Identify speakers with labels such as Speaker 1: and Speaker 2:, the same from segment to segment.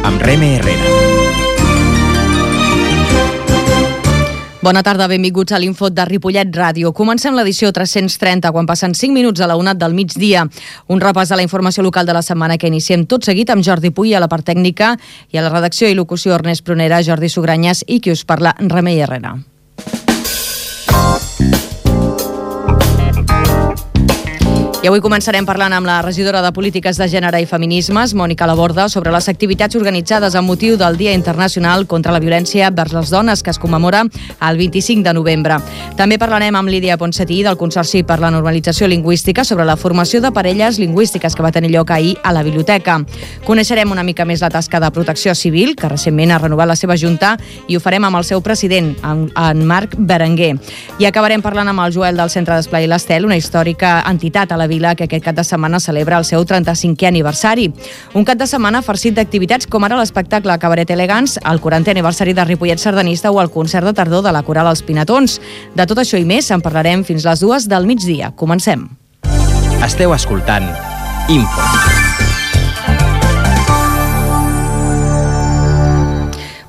Speaker 1: amb Reme Herrera.
Speaker 2: Bona tarda, benvinguts a l'Info de Ripollet Ràdio. Comencem l'edició 330, quan passen 5 minuts a la 1 del migdia. Un repàs de la informació local de la setmana que iniciem tot seguit amb Jordi Puy a la part tècnica i a la redacció i locució Ernest Prunera, Jordi Sugranyes i qui us parla, Remei Herrera. I avui començarem parlant amb la regidora de Polítiques de Gènere i Feminismes, Mònica Laborda, sobre les activitats organitzades amb motiu del Dia Internacional contra la Violència vers les Dones, que es commemora el 25 de novembre. També parlarem amb Lídia Ponsatí, del Consorci per la Normalització Lingüística, sobre la formació de parelles lingüístiques que va tenir lloc ahir a la biblioteca. Coneixerem una mica més la tasca de Protecció Civil, que recentment ha renovat la seva junta, i ho farem amb el seu president, en Marc Berenguer. I acabarem parlant amb el Joel del Centre d'Esplai l'Estel, una històrica entitat a la vila que aquest cap de setmana celebra el seu 35è aniversari. Un cap de setmana farcit d'activitats com ara l'espectacle Cabaret Elegants, el 40è aniversari de Ripollet Sardanista o el concert de tardor de la Coral Els Pinatons. De tot això i més en parlarem fins les 2 del migdia. Comencem.
Speaker 1: Esteu escoltant Info.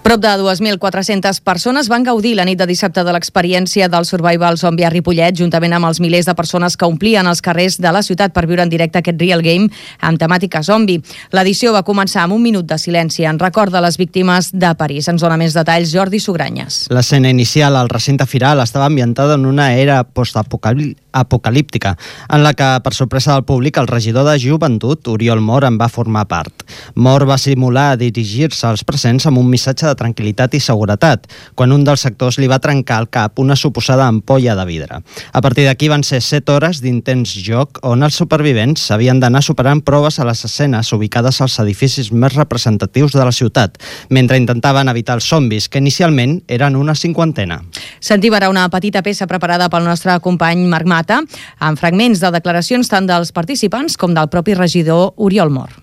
Speaker 2: Prop de 2.400 persones van gaudir la nit de dissabte de l'experiència del Survival Zombie a Ripollet, juntament amb els milers de persones que omplien els carrers de la ciutat per viure en directe aquest Real Game amb temàtica zombi. L'edició va començar amb un minut de silenci en record de les víctimes de París. Ens dona més detalls Jordi Sugranyes.
Speaker 3: L'escena inicial al recinte firal estava ambientada en una era postapocalíptica, en la que, per sorpresa del públic, el regidor de Joventut, Oriol Mor, en va formar part. Mor va simular dirigir-se als presents amb un missatge de tranquil·litat i seguretat, quan un dels sectors li va trencar al cap una suposada ampolla de vidre. A partir d'aquí van ser 7 hores d'intens joc on els supervivents havien d'anar superant proves a les escenes ubicades als edificis més representatius de la ciutat, mentre intentaven evitar els zombis, que inicialment eren una 50.
Speaker 2: Sentim ara una petita peça preparada pel nostre company Marc Mata, amb fragments de declaracions tant dels participants com del propi regidor Oriol Mor.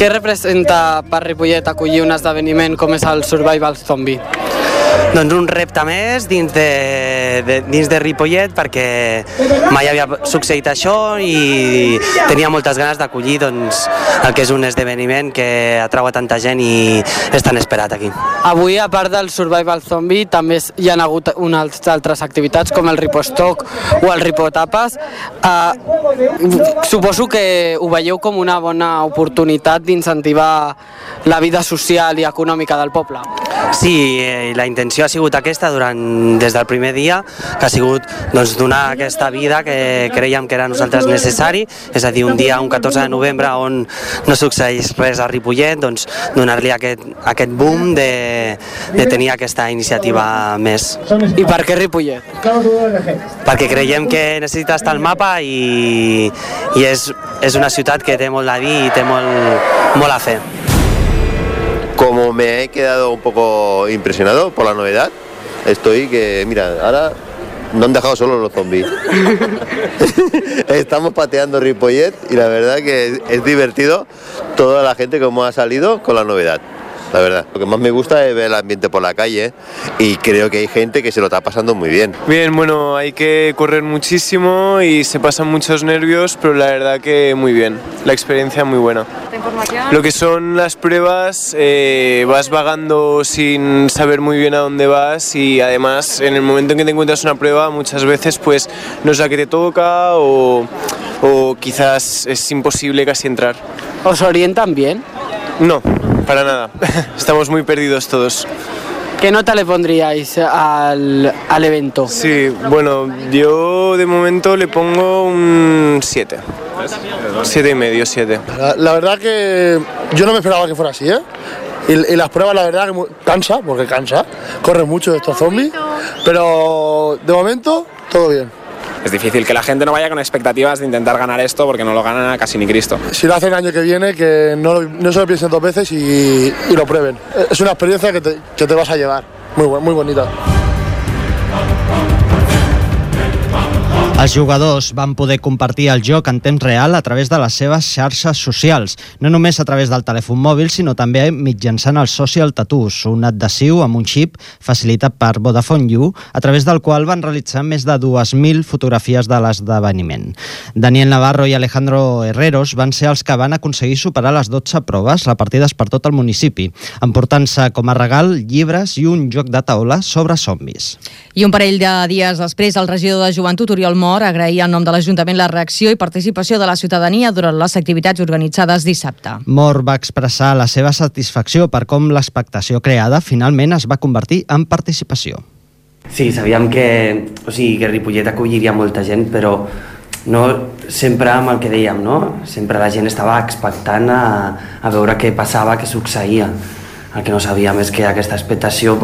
Speaker 4: Què representa per Ripollet acollir un esdeveniment com és el Survival Zombie?
Speaker 5: Doncs un repte més dins de Ripollet, perquè mai havia succeït això i tenia moltes ganes d'acollir el que és un esdeveniment que atrau a tanta gent i és tan esperat aquí.
Speaker 4: Avui, a part del Survival Zombie, també hi ha hagut unes altres activitats com el Ripostock o el Ripotapes. Suposo que ho veieu com una bona oportunitat d'incentivar la vida social i econòmica del poble.
Speaker 5: Sí, la intenció ha sigut aquesta des del primer dia, que ha sigut donar aquesta vida que creiem que era a nosaltres necessari, és a dir, un dia, un 14 de novembre, on no succeeix res a Ripollet, donar-li aquest boom de tenir aquesta iniciativa més.
Speaker 4: I per què Ripollet?
Speaker 5: Perquè creiem que necessita estar al mapa i és una ciutat que té molt a dir i té molt a fer.
Speaker 6: Como me he quedado un poco impresionado por la novedad, mira, ahora no han dejado solo los zombies. Estamos pateando Ripollet y la verdad que es divertido toda la gente como ha salido con la novedad. La verdad, lo que más me gusta es ver el ambiente por la calle y creo que hay gente que se lo está pasando muy bien.
Speaker 7: Bien, bueno, hay que correr muchísimo y se pasan muchos nervios, pero la verdad que muy bien, la experiencia muy buena. Lo que son las pruebas, vas vagando sin saber muy bien a dónde vas y además en el momento en que te encuentras una prueba muchas veces pues no es la que te toca o quizás es imposible casi entrar.
Speaker 4: ¿Os orientan bien?
Speaker 7: No, para nada. Estamos muy perdidos todos.
Speaker 4: ¿Qué nota le pondríais al evento?
Speaker 7: Sí, bueno, yo de momento le pongo un 7. 7,5, 7.
Speaker 8: La verdad que yo no me esperaba que fuera así, ¿eh? Y las pruebas, la verdad, que cansa, porque cansa. Corren mucho estos zombies, pero de momento todo bien.
Speaker 9: Es difícil que la gente no vaya con expectativas de intentar ganar esto porque no lo ganan a casi ni Cristo.
Speaker 8: Si lo hacen el año que viene, que no se lo piensen 2 veces y lo prueben. Es una experiencia que te vas a llevar, muy bonita.
Speaker 3: Els jugadors van poder compartir el joc en temps real a través de les seves xarxes socials, no només a través del telèfon mòbil, sinó també mitjançant el Social Tattoos, un adhesiu amb un xip facilitat per Vodafone You, a través del qual van realitzar més de 2.000 fotografies de l'esdeveniment. Daniel Navarro i Alejandro Herreros van ser els que van aconseguir superar les 12 proves repartides per tot el municipi, emportant-se com a regal llibres i un joc de taula sobre zombis.
Speaker 2: I un parell de dies després, el regidor de Joventut, Oriol Mor, agraïa en nom de l'Ajuntament la reacció i participació de la ciutadania durant les activitats organitzades dissabte.
Speaker 3: Mor va expressar la seva satisfacció per com l'expectació creada finalment es va convertir en participació.
Speaker 5: Sí, sabíem que Ripollet acolliria molta gent, però no sempre amb el que dèiem, no? Sempre la gent estava expectant a veure què passava, què succeïa. El que no sabíem és que aquesta expectació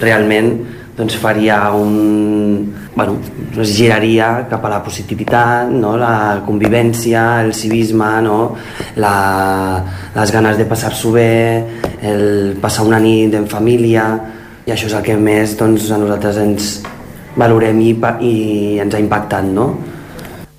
Speaker 5: realment faria es giraria cap a la positivitat, no? La convivència, el civisme, no? Les ganes de passar-s'ho bé, el passar una nit en família, i això és el que més a nosaltres ens valorem i ens ha impactat, no?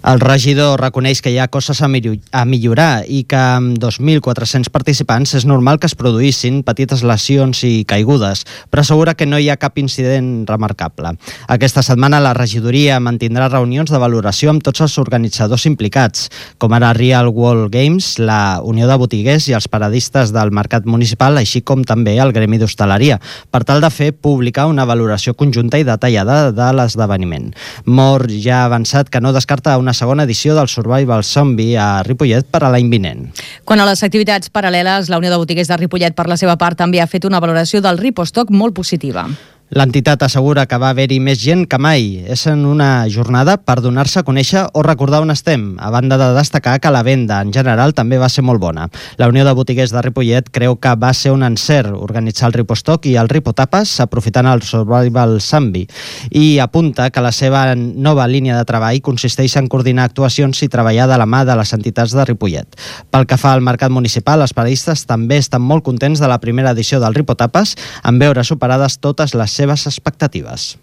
Speaker 3: El regidor reconeix que hi ha coses a millorar i que amb 2.400 participants és normal que es produïssin petites lesions i caigudes, però assegura que no hi ha cap incident remarcable. Aquesta setmana la regidoria mantindrà reunions de valoració amb tots els organitzadors implicats, com ara Real World Games, la Unió de Botiguers i els paradistes del mercat municipal, així com també el gremi d'hostaleria, per tal de fer pública una valoració conjunta i detallada de l'esdeveniment. Mor ja ha avançat que no descarta una segona edició del Survival Zombie a Ripollet per a l'any vinent.
Speaker 2: Quant a les activitats paral·leles, la Unió de Botiguers de Ripollet, per la seva part, també ha fet una valoració del Ripostock molt positiva.
Speaker 3: L'entitat assegura que va haver-hi més gent que mai. És en una jornada per donar-se a conèixer o recordar on estem, a banda de destacar que la venda en general també va ser molt bona. La Unió de Botiguers de Ripollet creu que va ser un encert organitzar el Ripostock i el Ripotapes aprofitant el Survival Zombie, i apunta que la seva nova línia de treball consisteix en coordinar actuacions i treballar de la mà de les entitats de Ripollet. Pel que fa al mercat municipal, els paradistes també estan molt contents de la primera edició del Ripotapes, en veure superades totes les seves expectatives.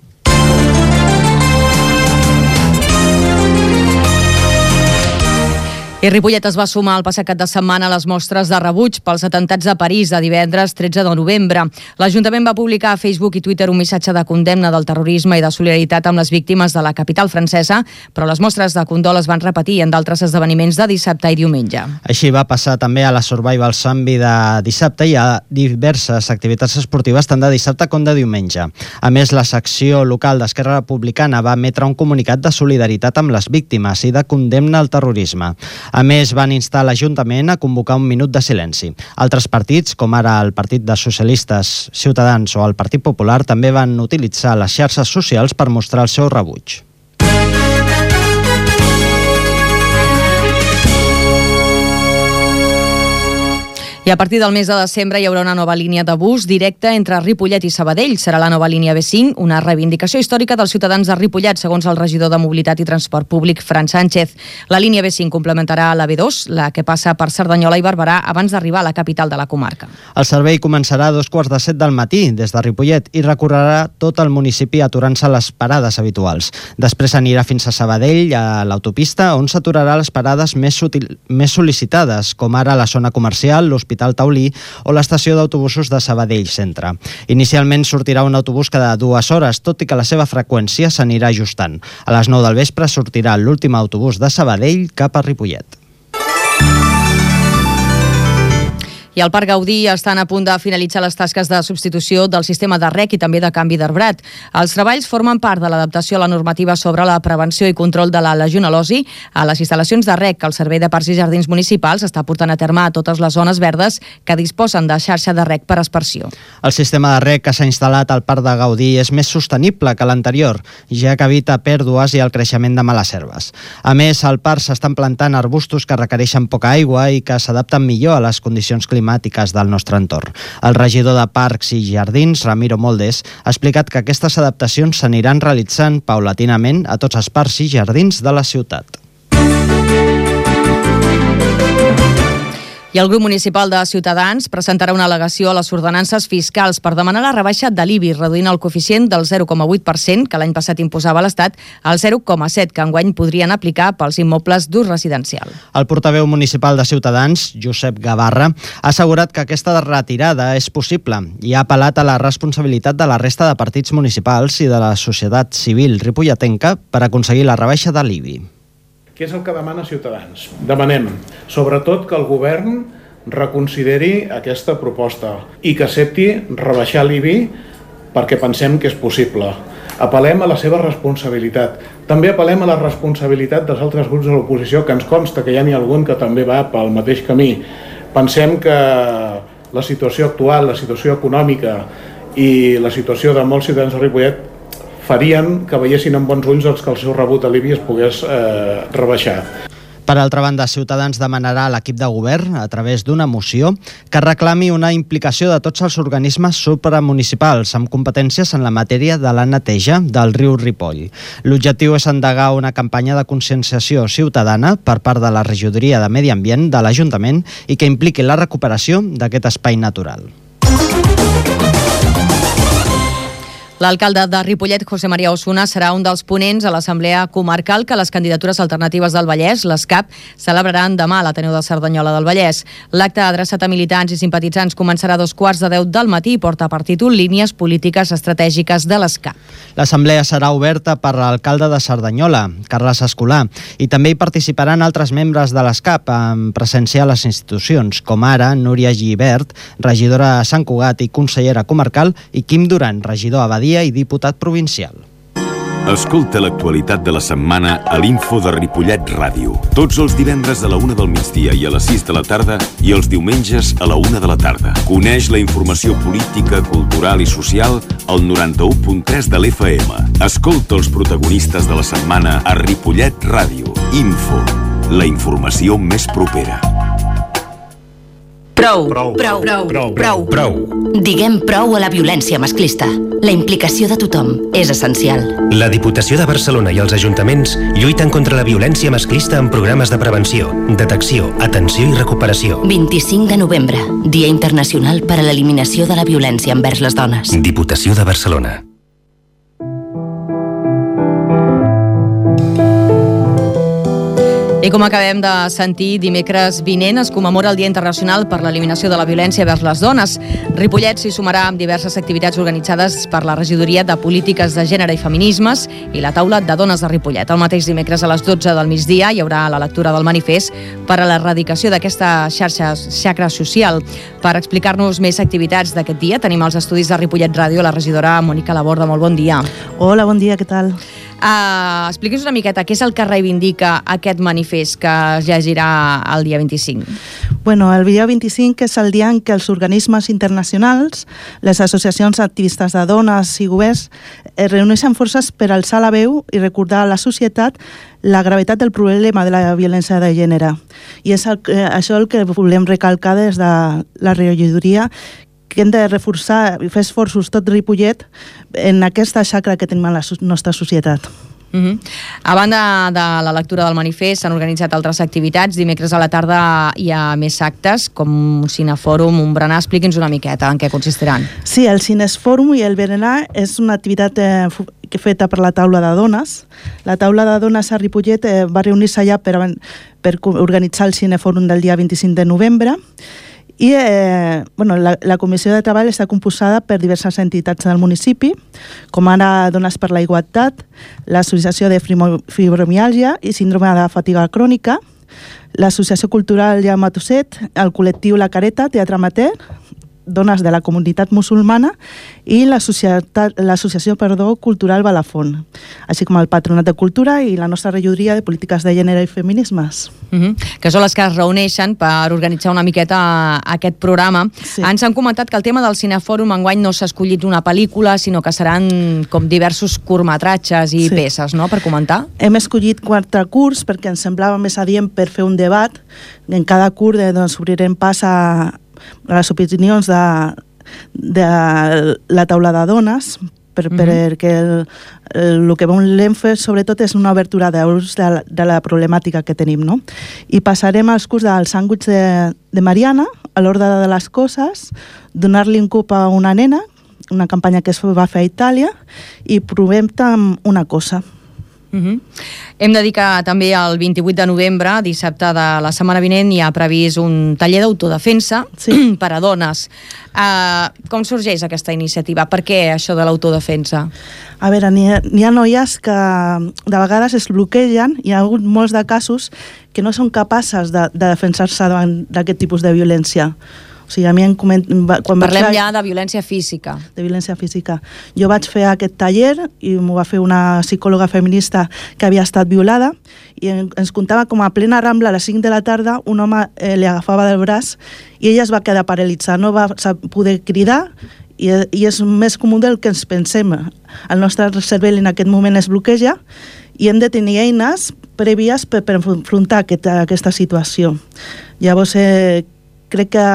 Speaker 2: I Ripollet es va sumar el passat cap de setmana a les mostres de rebuig pels atentats de París de divendres 13 de novembre. L'Ajuntament va publicar a Facebook i Twitter un missatge de condemna del terrorisme i de solidaritat amb les víctimes de la capital francesa, però les mostres de condol es van repetir en d'altres esdeveniments de dissabte i diumenge.
Speaker 3: Així va passar també a la Survival Zombie de dissabte i a diverses activitats esportives tant de dissabte com de diumenge. A més, la secció local d'Esquerra Republicana va emetre un comunicat de solidaritat amb les víctimes i de condemna al terrorisme. A més, van instar l'Ajuntament a convocar un minut de silenci. Altres partits, com ara el Partit de Socialistes, Ciutadans o el Partit Popular, també van utilitzar les xarxes socials per mostrar el seu rebuig.
Speaker 2: I a partir del mes de desembre hi haurà una nova línia de bus directa entre Ripollet i Sabadell. Serà la nova línia B5, una reivindicació històrica dels ciutadans de Ripollet, segons el regidor de Mobilitat i Transport Públic, Fran Sánchez. La línia B5 complementarà la B2, la que passa per Cerdanyola i Barberà, abans d'arribar a la capital de la comarca.
Speaker 3: El servei començarà a 7:15 del matí des de Ripollet i recorrerà tot el municipi aturant-se a les parades habituals. Després anirà fins a Sabadell, a l'autopista, on s'aturarà les parades més sol·licitades, com ara la zona comercial, l'Hospital Taulí o l'estació d'autobusos de Sabadell Centre. Inicialment sortirà un autobús cada 2 hores, tot i que la seva freqüència s'anirà ajustant. A les 9 del vespre sortirà l'últim autobús de Sabadell cap a Ripollet.
Speaker 2: I al Parc Gaudí estan a punt de finalitzar les tasques de substitució del sistema de rec i també de canvi d'arbrat. Els treballs formen part de l'adaptació a la normativa sobre la prevenció i control de la legionel·losi a les instal·lacions de rec que el Servei de Parcs i Jardins Municipals està portant a terme a totes les zones verdes que disposen de xarxa de rec per aspersió.
Speaker 3: El sistema de rec que s'ha instal·lat al Parc de Gaudí és més sostenible que l'anterior, ja que evita pèrdues i el creixement de males herbes. A més, al parc s'estan plantant arbustos que requereixen poca aigua i que s'adapten millor a les condicions climàtiques del nostre entorn. El regidor de Parcs i Jardins, Ramiro Moldes, ha explicat que aquestes adaptacions s'aniran realitzant paulatinament a tots els parcs i jardins de la ciutat.
Speaker 2: I el grup municipal de Ciutadans presentarà una al·legació a les ordenances fiscals per demanar la rebaixa de l'IBI, reduint el coeficient del 0,8% que l'any passat imposava l'Estat al 0,7%, que enguany podrien aplicar pels immobles d'ús residencial.
Speaker 3: El portaveu municipal de Ciutadans, Josep Gavarra, ha assegurat que aquesta retirada és possible i ha apel·lat a la responsabilitat de la resta de partits municipals i de la societat civil ripolletenca per aconseguir la rebaixa de l'IBI.
Speaker 10: Què és el que demana Ciutadans? Demanem, sobretot, que el govern reconsideri aquesta proposta i que accepti rebaixar l'IBI perquè pensem que és possible. Apel·lem a la seva responsabilitat. També apel·lem a la responsabilitat dels altres grups de l'oposició, que ens consta que ja n'hi ha algun que també va pel mateix camí. Pensem que la situació actual, la situació econòmica i la situació de molts ciutadans de Ripollet farien que veiessin amb bons ulls que el seu rebut a l'IBI es pogués rebaixar.
Speaker 3: Per altra banda, Ciutadans demanarà a l'equip de govern, a través d'una moció, que reclami una implicació de tots els organismes supramunicipals amb competències en la matèria de la neteja del riu Ripoll. L'objectiu és endegar una campanya de conscienciació ciutadana per part de la regidoria de Medi Ambient de l'Ajuntament i que impliqui la recuperació d'aquest espai natural.
Speaker 2: L'alcalde de Ripollet, José María Osuna, serà un dels ponents a l'Assemblea Comarcal que les candidatures alternatives del Vallès, les CAP, celebraran demà a l'Ateneu de Cerdanyola del Vallès. L'acte adreçat a militants i simpatitzants començarà a 2:15 del matí i porta per títol Línies polítiques estratègiques de les CAP.
Speaker 3: L'assemblea serà oberta per l'alcalde de Cerdanyola, Carles Escolà, i també hi participaran altres membres de les CAP en presència a les institucions, com ara Núria Gibert, regidora a Sant Cugat i consellera comarcal, i Quim Duran, regidor a Badia i diputat provincial.
Speaker 11: Escolta l'actualitat de la setmana a l'Info de Ripollet Ràdio. Tots els divendres a la 1 del migdia i a les 6 de la tarda i els diumenges a la 1 de la tarda. Coneix la informació política, cultural i social al 91.3 de l'FM. Escolta els protagonistes de la setmana a Ripollet Ràdio. Info, la informació més propera.
Speaker 12: Prou. Diguem prou a la violència masclista. La implicació de tothom és essencial.
Speaker 13: La Diputació de Barcelona i els ajuntaments lluiten contra la violència masclista amb programes de prevenció, detecció, atenció i recuperació.
Speaker 12: 25 de novembre, Dia Internacional per a l'Eliminació de la Violència envers les Dones.
Speaker 13: Diputació de Barcelona.
Speaker 2: I com acabem de sentir, dimecres vinent es commemora el Dia Internacional per l'Eliminació de la Violència vers les Dones. Ripollet s'hi sumarà amb diverses activitats organitzades per la Regidoria de Polítiques de Gènere i Feminismes i la Taula de Dones de Ripollet. El mateix dimecres a les 12 del migdia hi haurà la lectura del manifest per a l'erradicació d'aquesta xacra social. Per explicar-nos més activitats d'aquest dia tenim als estudis de Ripollet Ràdio la regidora Mònica Laborda. Molt bon dia.
Speaker 14: Hola, bon dia, què tal?
Speaker 2: Expliqui'ns una miqueta què és el que reivindica aquest manifest que es llegirà el dia 25.
Speaker 14: Bueno, el dia 25 és el dia en què els organismes internacionals, les associacions activistes de dones i governs reuneixen forces per alçar la veu i recordar a la societat la gravetat del problema de la violència de gènere. I és això el que volem recalcar des de la regidoria, que hem de reforçar i fer esforços tot Ripollet en aquesta xacra que tenim a la nostra societat.
Speaker 2: A banda de la lectura del manifest, s'han organitzat altres activitats. Dimecres a la tarda hi ha més actes, com un cinefòrum, un berenar. Expliqui'ns una miqueta en què consistiran.
Speaker 14: Sí, el cinefòrum i el berenar és una activitat feta per la taula de dones. La taula de dones a Ripollet va reunir-se allà per organitzar el cinefòrum del dia 25 de novembre. I la comissió de treball està composada per diverses entitats del municipi, com ara Dones per la Igualtat, l'Associació de Fibromiàlgia i Síndrome de Fatiga Crònica, l'Associació Cultural Jaume Tusset, el col·lectiu La Careta, Teatre Amateur, dones de la comunitat musulmana i l'associació cultural Balafón, així com el Patronat de Cultura i la nostra regidoria de Polítiques de Gènere i Feminismes.
Speaker 2: Que són les que es reuneixen per organitzar una miqueta aquest programa. Sí. Ens han comentat que el tema del cinefòrum enguany no s'ha escollit una pel·lícula, sinó que seran com diversos curtmetratges i peces, no?, per comentar.
Speaker 14: Hem escollit 4 curts perquè ens semblava més adient per fer un debat. En cada curt obrirem pas a les opinions de la taula de dones perquè el que volem fer sobretot és una obertura d'ulls de la problemàtica que tenim, no? I passarem als curs del sàndwich de Mariana, a l'ordre de les coses, donar-li un cop a una nena, una campanya que es va fer a Itàlia, i provem una cosa.
Speaker 2: Hem de dir que també el 28 de novembre, dissabte de la setmana vinent, hi ha previst un taller d'autodefensa per a dones. Com sorgeix aquesta iniciativa? Per què això de l'autodefensa?
Speaker 14: A veure, n'hi ha noies que de vegades es bloquegen, hi ha hagut molts de casos que no són capaces de defensar-se davant d'aquest tipus de violència. O sigui, a mi
Speaker 2: Parlem ja de violència física.
Speaker 14: De violència física. Jo vaig fer aquest taller i m'ho va fer una psicòloga feminista que havia estat violada i ens contava com a plena Rambla a les 5 de la tarda un home li agafava del braç i ella es va quedar paralitzada, no va poder cridar i és més comú del que ens pensem. El nostre cervell en aquest moment es bloqueja i hem de tenir eines prèvies per enfrontar aquesta situació. Llavors, crec que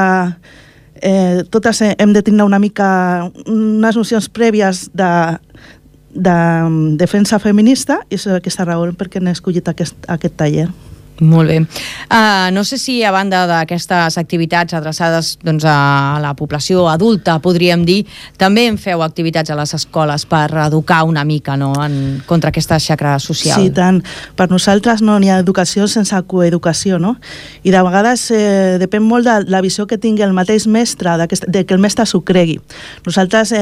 Speaker 14: totes hem de tenir una mica unes nocions prèvies de defensa feminista i és aquesta raó perquè n'he escollit aquest taller.
Speaker 2: Molt bé. No sé si a banda d'aquestes activitats adreçades a la població adulta, podríem dir, també en feu activitats a les escoles per educar una mica contra aquesta xacra social.
Speaker 14: Sí, tant. Per nosaltres no n'hi ha educació sense coeducació, no? I de vegades depèn molt de la visió que tingui el mateix mestre, de que el mestre s'ho cregui. Nosaltres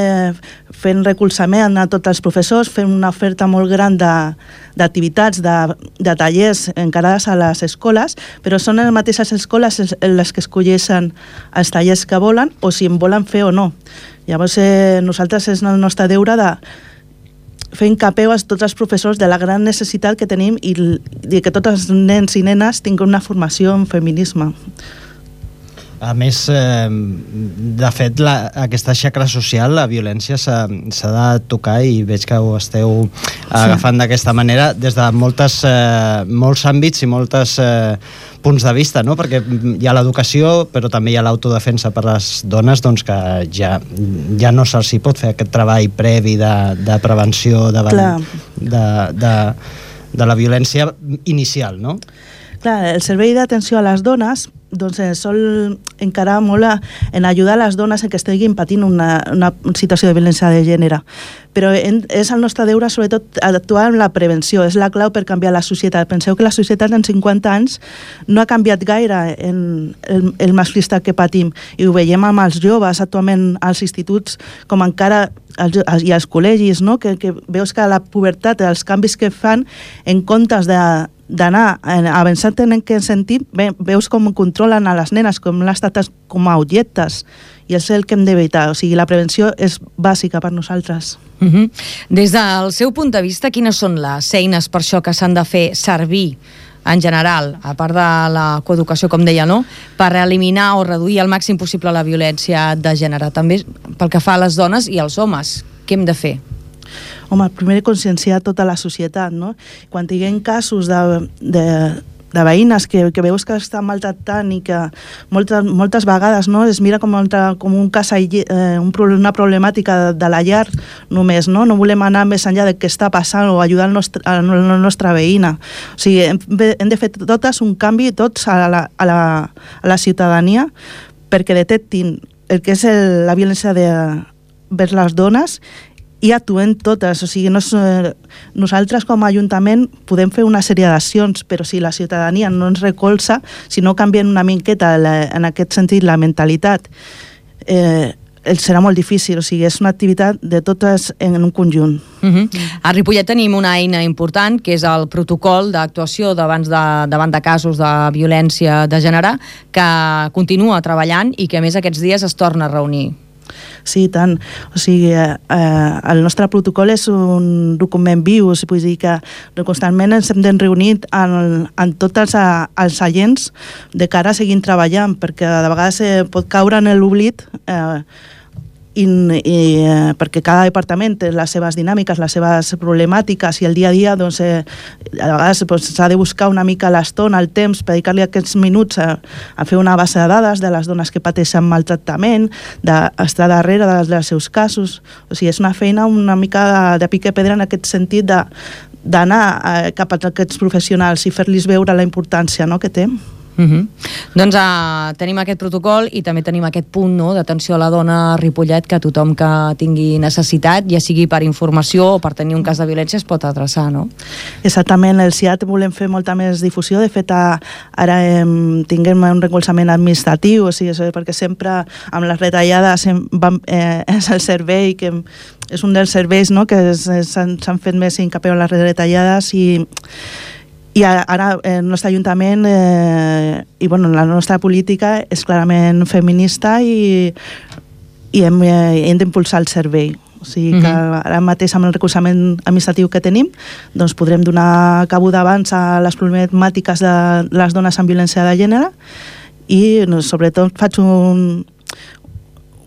Speaker 14: fent recolzament a tots els professors, fem una oferta molt gran d'activitats, de tallers encarades a les escoles, però són les mateixes escoles les que escolleixen els tallers que volen o si en volen fer o no. Llavors nosaltres és el nostre deure de fer incapeu a tots els professors de la gran necessitat que tenim i que tots els nens i nenes tinguin una formació en feminisme.
Speaker 3: A més, de fet, aquesta xacra social, la violència s'ha de tocar i veig que ho esteu agafant d'aquesta manera des de molts àmbits i molts punts de vista, no? Perquè hi ha l'educació, però també hi ha l'autodefensa per les dones, doncs que ja no se'ls pot fer aquest treball previ de prevenció davant de la violència inicial, no?
Speaker 14: Clar, el servei d'atenció a les dones sol encarar molt en ajudar les dones que estiguin patint una situació de violència de gènere. Però és el nostre deure, sobretot, actuar en la prevenció. És la clau per canviar la societat. Penseu que la societat en 50 anys no ha canviat gaire en el masclista que patim. I ho veiem amb els joves actualment als instituts, com encara i als col·legis, no? que veus que la pubertat, els canvis que fan, en comptes d'anar avançant en aquest sentit, veus com controlen a les nenes, com les tracten com a objectes, i és el que hem d'evitar. O sigui, la prevenció és bàsica per nosaltres.
Speaker 2: Des del seu punt de vista, quines són les eines per això que s'han de fer servir en general, a part de la coeducació, com deia, no? Per eliminar o reduir al màxim possible la violència de gènere, també pel que fa a les dones i als homes? Què hem de fer?
Speaker 14: Home, primer conscienciar tota la societat, no? Quan tinguem casos de veïnes que veus que estan maltractant i que moltes vegades es mira com un cas, una problemàtica de la llar només, no? No volem anar més enllà del que està passant o ajudar la nostra veïna. O sigui, hem de fer totes un canvi, tots a la ciutadania, perquè detectin el que és la violència vers les dones i actuem totes. O sigui, nosaltres com a Ajuntament podem fer una sèrie d'accions, però si la ciutadania no ens recolza, si no canvien una miqueta en aquest sentit la mentalitat, serà molt difícil. O sigui, és una activitat de totes en un conjunt.
Speaker 2: A Ripollet tenim una eina important, que és el protocol d'actuació davant de casos de violència de gènere, que continua treballant i que a més aquests dies es torna a reunir.
Speaker 14: Sí, tant. O sigui, el nostre protocol és un document viu, vull dir que constantment ens hem de reunir en tots els agents de cara a seguir treballant, perquè de vegades pot caure en l'oblit perquè cada departament té les seves dinàmiques, les seves problemàtiques, i el dia a dia doncs, a vegades s'ha de buscar una mica l'estona, el temps, per dedicar-li aquests minuts a fer una base de dades de les dones que pateixen maltractament, d'estar darrere dels seus casos. O sigui, és una feina una mica de pica pedra en aquest sentit d'anar cap a aquests professionals i fer-los veure la importància, no?, que té.
Speaker 2: Doncs tenim aquest protocol i també tenim aquest punt, no?, d'atenció a la dona a Ripollet, que tothom que tingui necessitat, ja sigui per informació o per tenir un cas de violència, es pot adreçar, no?
Speaker 14: Exactament, el CIAT volem fer molta més difusió. De fet, ara tinguem un recolzament administratiu, o sigui, perquè sempre amb les retallades és el servei que és un dels serveis, no?, que s'han fet més hincapié en les retallades, i ara el nostre Ajuntament i la nostra política és clarament feminista i hem d'impulsar el servei. O sigui que ara mateix amb el recolzament administratiu que tenim doncs podrem donar cabuda abans a les problemàtiques de les dones amb violència de gènere i sobretot faig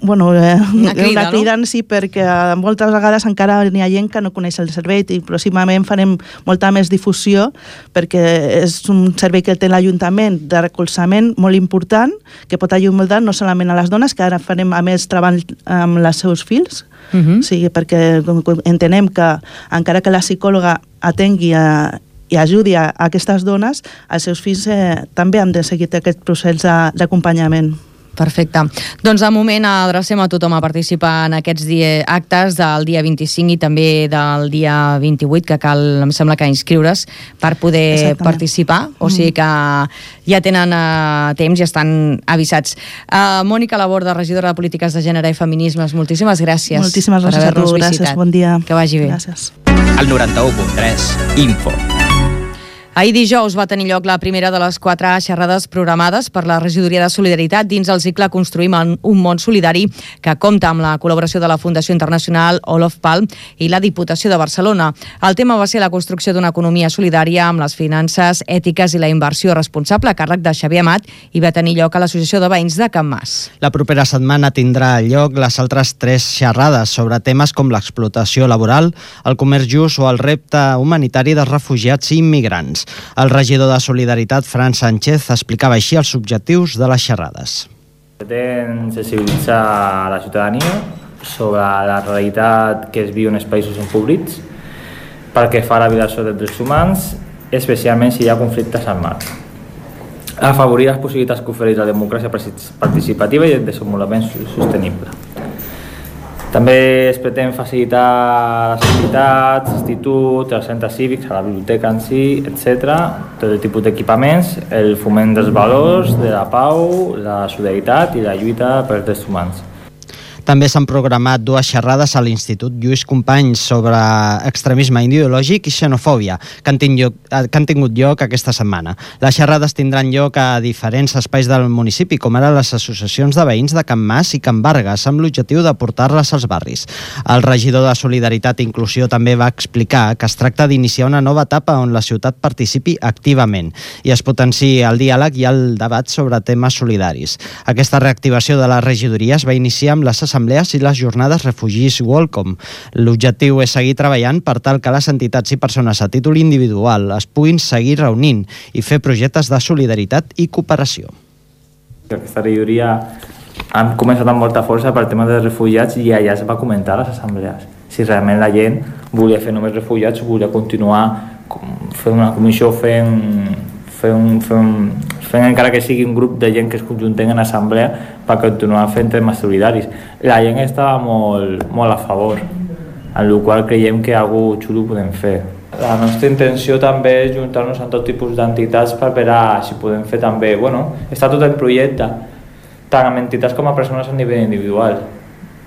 Speaker 14: una crida, sí, perquè moltes vegades encara n'hi ha gent que no coneix el servei i pròximament farem molta més difusió perquè és un servei que té l'Ajuntament de recolzament molt important, que pot ajudar no solament a les dones, que ara farem a més treball amb els seus fills, o sigui, perquè entenem que encara que la psicòloga atengui i ajudi a aquestes dones, els seus fills també han de seguir aquest procés d'acompanyament.
Speaker 2: Perfecte. Doncs de moment adrecem a tothom a participar en aquests actes del dia 25 i també del dia 28, que cal, em sembla que inscriure's per poder participar, o sigui que ja tenen temps i estan avisats. Mònica Laborda, regidora de Polítiques de Gènere i Feminismes, moltíssimes gràcies.
Speaker 14: Moltíssimes gràcies a tu, gràcies, bon dia.
Speaker 2: Que vagi bé.
Speaker 14: Gràcies.
Speaker 1: El 91.3, Info.
Speaker 2: Ahir dijous va tenir lloc la primera de les 4 xerrades programades per la Regidoria de Solidaritat dins el cicle Construïm un món solidari, que compta amb la col·laboració de la Fundació Internacional Olof Palme i la Diputació de Barcelona. El tema va ser la construcció d'una economia solidària amb les finances ètiques i la inversió responsable a càrrec de Xavier Amat i va tenir lloc a l'Associació de Veïns de Can Mas.
Speaker 3: La propera setmana tindrà lloc les altres 3 xerrades sobre temes com l'explotació laboral, el comerç just o el repte humanitari dels refugiats i immigrants. El regidor de Solidaritat, Fran Sánchez, explicava així els objectius de les xerrades.
Speaker 15: Pretén sensibilitzar la ciutadania sobre la realitat que es viu en els països empobrits pel que fa a la violació dels drets humans, especialment si hi ha conflictes armats. Afavorir les possibilitats que ofereix la democràcia participativa i el desenvolupament sostenible. També es pretén facilitar les entitats, instituts, els centres cívics, a la biblioteca en si, etc., tot el tipus d'equipaments, el foment dels valors, de la pau, la solidaritat i la lluita pels drets humans.
Speaker 3: També s'han programat 2 xerrades a l'Institut Lluís Companys sobre extremisme ideològic i xenofòbia, que han tingut lloc aquesta setmana. Les xerrades tindran lloc a diferents espais del municipi, com ara les associacions de veïns de Can Mas i Can Vargas, amb l'objectiu de portar-les als barris. El regidor de Solidaritat i Inclusió també va explicar que es tracta d'iniciar una nova etapa on la ciutat participi activament i es potenciï el diàleg i el debat sobre temes solidaris. Aquesta reactivació de la regidoria es va iniciar amb les assemblees i les jornades Refugees Welcome. L'objectiu és seguir treballant per tal que les entitats i persones a títol individual es puguin seguir reunint i fer projectes de solidaritat i cooperació.
Speaker 15: Aquesta regidoria han començat amb molta força pel tema dels refugiats i allà es va comentar a les assemblees si realment la gent volia fer només refugiats o volia continuar fent una comissió, fent encara que sigui un grup de gent que es conjunten en assemblea per continuar fent temes solidaris. La gent estava molt a favor, en el qual creiem que alguna cosa xulo podem fer. La nostra intenció també és juntar-nos amb tot tipus d'entitats per veure si podem fer també, està tot el projecte, tant amb entitats com a persones a nivell individual.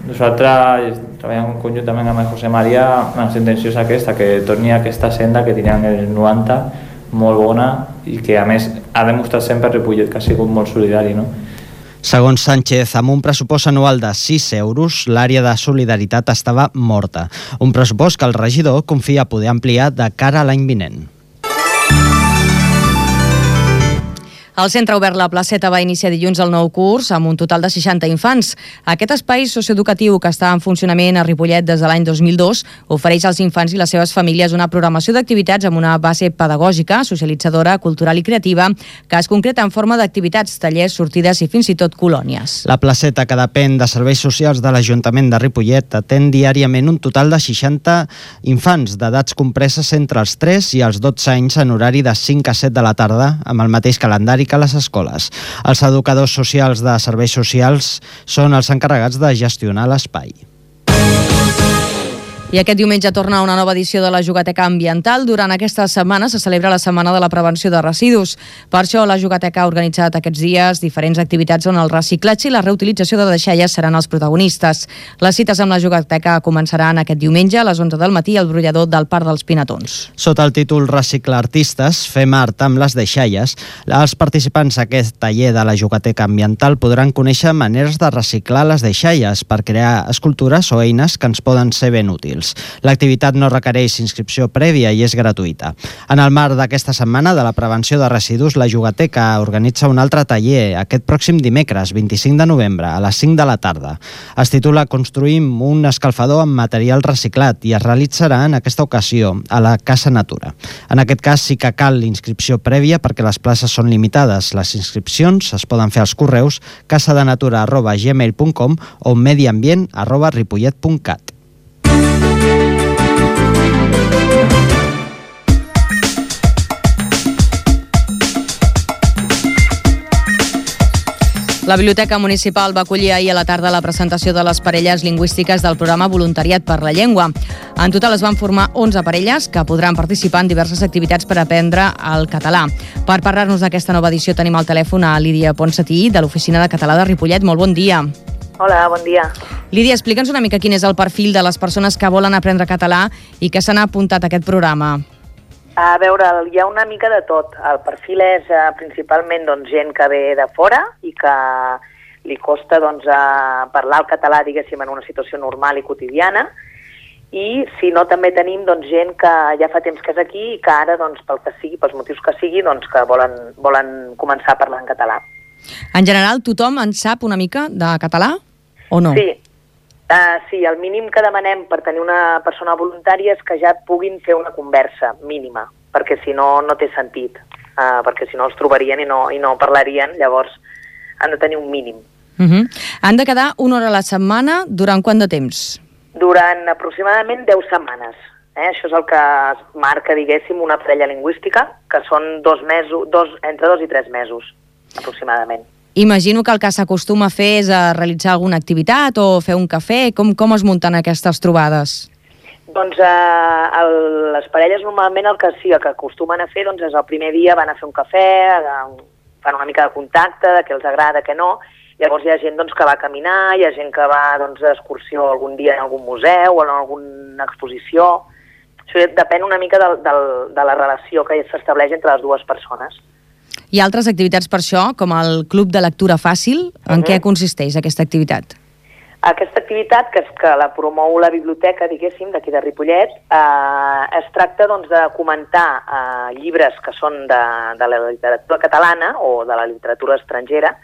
Speaker 15: Nosaltres treballem conjuntament amb el José María, la nostra intenció és aquesta, que torni a aquesta senda que tenien els 90, molt bona i que a més ha demostrat sempre Ripollet que ha sigut molt solidari, no?
Speaker 3: Segons Sánchez, amb un pressupost anual de 6 euros, l'àrea de solidaritat estava morta. Un pressupost que el regidor confia poder ampliar de cara a l'any vinent.
Speaker 2: El centre obert La Placeta va iniciar dilluns el nou curs amb un total de 60 infants. Aquest espai socioeducatiu que està en funcionament a Ripollet des de l'any 2002 ofereix als infants i les seves famílies una programació d'activitats amb una base pedagògica, socialitzadora, cultural i creativa que es concreta en forma d'activitats, tallers, sortides i fins i tot colònies.
Speaker 3: La Placeta, que depèn de serveis socials de l'Ajuntament de Ripollet, atén diàriament un total de 60 infants d'edats compreses entre els 3 i els 12 anys en horari de 5 a 7 de la tarda, amb el mateix calendari que les escoles. Els educadors socials de serveis socials són els encarregats de gestionar l'espai.
Speaker 2: I aquest diumenge torna una nova edició de la Jugateca Ambiental. Durant aquesta setmana se celebra la Setmana de la Prevenció de Residus. Per això la Jugateca ha organitzat aquests dies diferents activitats on el reciclatge i la reutilització de deixalles seran els protagonistes. Les cites amb la Jugateca començaran aquest diumenge a les 11 del matí al brollador del Parc dels Pinatons.
Speaker 3: Sota el títol Recicla Artistes, fem art amb les deixalles, els participants d'aquest taller de la Jugateca Ambiental podran conèixer maneres de reciclar les deixalles per crear escultures o eines que ens poden ser ben útils. L'activitat no requereix inscripció prèvia i és gratuïta. En el marc d'aquesta setmana de la prevenció de residus, la Jugateca organitza un altre taller aquest pròxim dimecres, 25 de novembre, a les 5 de la tarda. Es titula Construïm un escalfador amb material reciclat i es realitzarà en aquesta ocasió a la Casa Natura. En aquest cas sí que cal inscripció prèvia perquè les places són limitades. Les inscripcions es poden fer als correus casadenatura@gmail.com o mediambient@ripollet.cat.
Speaker 2: La Biblioteca Municipal va acollir ahir a la tarda la presentació de les parelles lingüístiques del programa Voluntariat per la Llengua. En total es van formar 11 parelles que podran participar en diverses activitats per aprendre el català. Per parlar-nos d'aquesta nova edició tenim al telèfon a Lídia Ponsatí, de l'Oficina de Català de Ripollet. Molt bon dia.
Speaker 16: Hola, bon dia.
Speaker 2: Lídia, explica'ns una mica quin és el perfil de les persones que volen aprendre català i que s'han apuntat a aquest programa.
Speaker 16: A veure, hi ha una mica de tot. El perfil és principalment gent que ve de fora i que li costa parlar el català, diguéssim, en una situació normal i quotidiana. I si no, també tenim gent que ja fa temps que és aquí i que ara, pel que sigui, pels motius que sigui, que volen començar a parlar en català.
Speaker 2: En general, tothom en sap una mica de català o no?
Speaker 16: Sí. Sí, el mínim que demanem per tenir una persona voluntària és que ja puguin fer una conversa mínima, perquè si no, no té sentit, perquè si no els trobarien i no parlarien, llavors han de tenir un mínim.
Speaker 2: Han de quedar una hora a la setmana durant quant de temps?
Speaker 16: Durant aproximadament 10 setmanes. Això és el que es marca, diguéssim, una parella lingüística, que són 2 mesos, entre 2 i 3 mesos, aproximadament.
Speaker 2: Imagino que el que s'acostuma a fer és a realitzar alguna activitat o fer un cafè. Com es munten aquestes trobades?
Speaker 16: Doncs les parelles normalment el que acostumen a fer és el primer dia van a fer un cafè, fan una mica de contacte, de què els agrada, què no. Llavors hi ha gent que va a caminar, hi ha gent que va d'excursió algun dia en algun museu o en alguna exposició. Això depèn una mica de la relació que s'estableix entre les dues persones.
Speaker 2: Hi ha altres activitats per això, com el Club de Lectura Fàcil. En què consisteix aquesta activitat?
Speaker 16: Aquesta activitat, que és que la promou la biblioteca, diguéssim, d'aquí de Ripollet, es tracta de comentar llibres que són de la literatura catalana o de la literatura estrangera,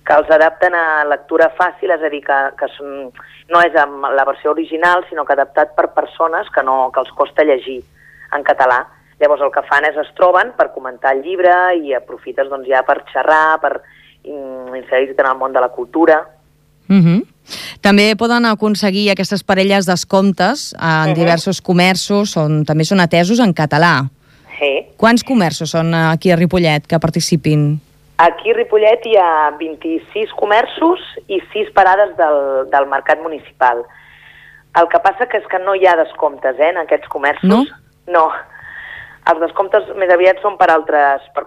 Speaker 16: que els adapten a lectura fàcil, és a dir, que no és amb la versió original, sinó que adaptat per persones que els costa llegir en català. Llavors el que fan és es troben per comentar el llibre i aprofites ja per xerrar, per inserir-te en el món de la cultura.
Speaker 2: També poden aconseguir aquestes parelles descomptes en diversos comerços on també són atesos en català.
Speaker 16: Sí.
Speaker 2: Quants comerços són aquí a Ripollet que participin?
Speaker 16: Aquí a Ripollet hi ha 26 comerços i 6 parades del mercat municipal. El que passa és que no hi ha descomptes en aquests comerços.
Speaker 2: No?
Speaker 16: No. Els descomptes més aviat són per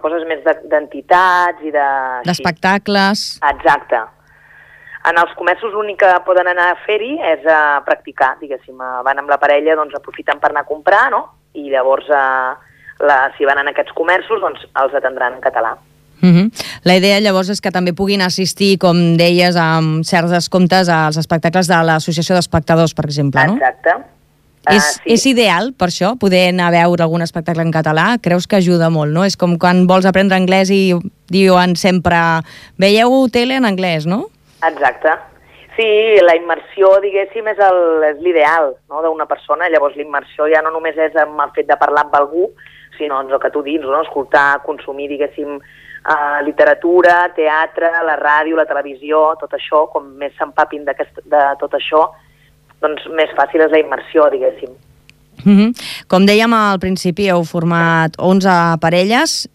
Speaker 16: coses més d'entitats i
Speaker 2: d'espectacles.
Speaker 16: Exacte. En els comerços l'únic que poden anar a fer-hi és a practicar, diguéssim. Van amb la parella, aprofiten per anar a comprar, no? I llavors, si van en aquests comerços, els atendran en català.
Speaker 2: La idea llavors és que també puguin assistir, com deies, amb certs descomptes als espectacles de l'Associació d'Espectadors, per exemple, no?
Speaker 16: Exacte.
Speaker 2: És ideal, per això, poder anar a veure algun espectacle en català? Creus que ajuda molt, no? És com quan vols aprendre anglès i diuen sempre veieu tele en anglès, no?
Speaker 16: Exacte. Sí, la immersió, diguéssim, és l'ideal, no?, d'una persona. Llavors l'immersió ja no només és amb el fet de parlar amb algú, sinó el que tu dius, no?, escoltar, consumir, diguéssim, literatura, teatre, la ràdio, la televisió, tot això, com més s'empapin de tot això, doncs més fàcil és la immersió, diguéssim.
Speaker 2: Com dèiem al principi, heu format 11 parelles,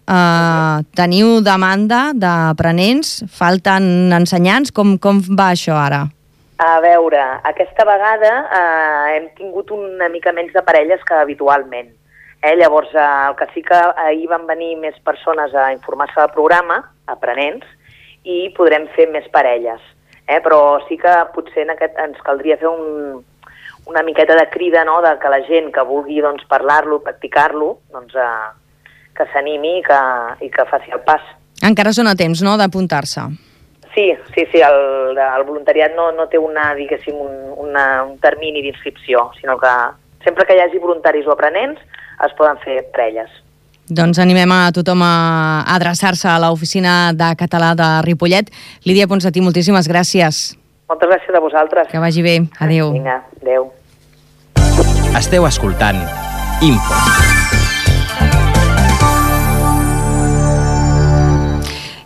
Speaker 2: teniu demanda d'aprenents, falten ensenyants, com va això ara?
Speaker 16: A veure, aquesta vegada hem tingut una mica menys de parelles que habitualment. Llavors, el que sí que ahir van venir més persones a informar-se del programa, aprenents, i podrem fer més parelles. Però sí que potser ens caldria fer una miqueta de crida, no?, de que la gent que vulgui parlar-lo, practicar-lo, que s'animi i que faci el pas.
Speaker 2: Encara són a temps, no?, d'apuntar-se.
Speaker 16: Sí, el voluntariat no té diguéssim, un termini d'inscripció, sinó que sempre que hi hagi voluntaris o aprenents es poden fer parelles.
Speaker 2: Doncs animem a tothom a adreçar-se a l'Oficina de Català de Ripollet. Lídia Ponsatí, moltíssimes gràcies.
Speaker 16: Moltes gràcies a vosaltres.
Speaker 2: Que vagi bé. Adéu.
Speaker 16: Vinga, adéu.
Speaker 1: Esteu escoltant Info.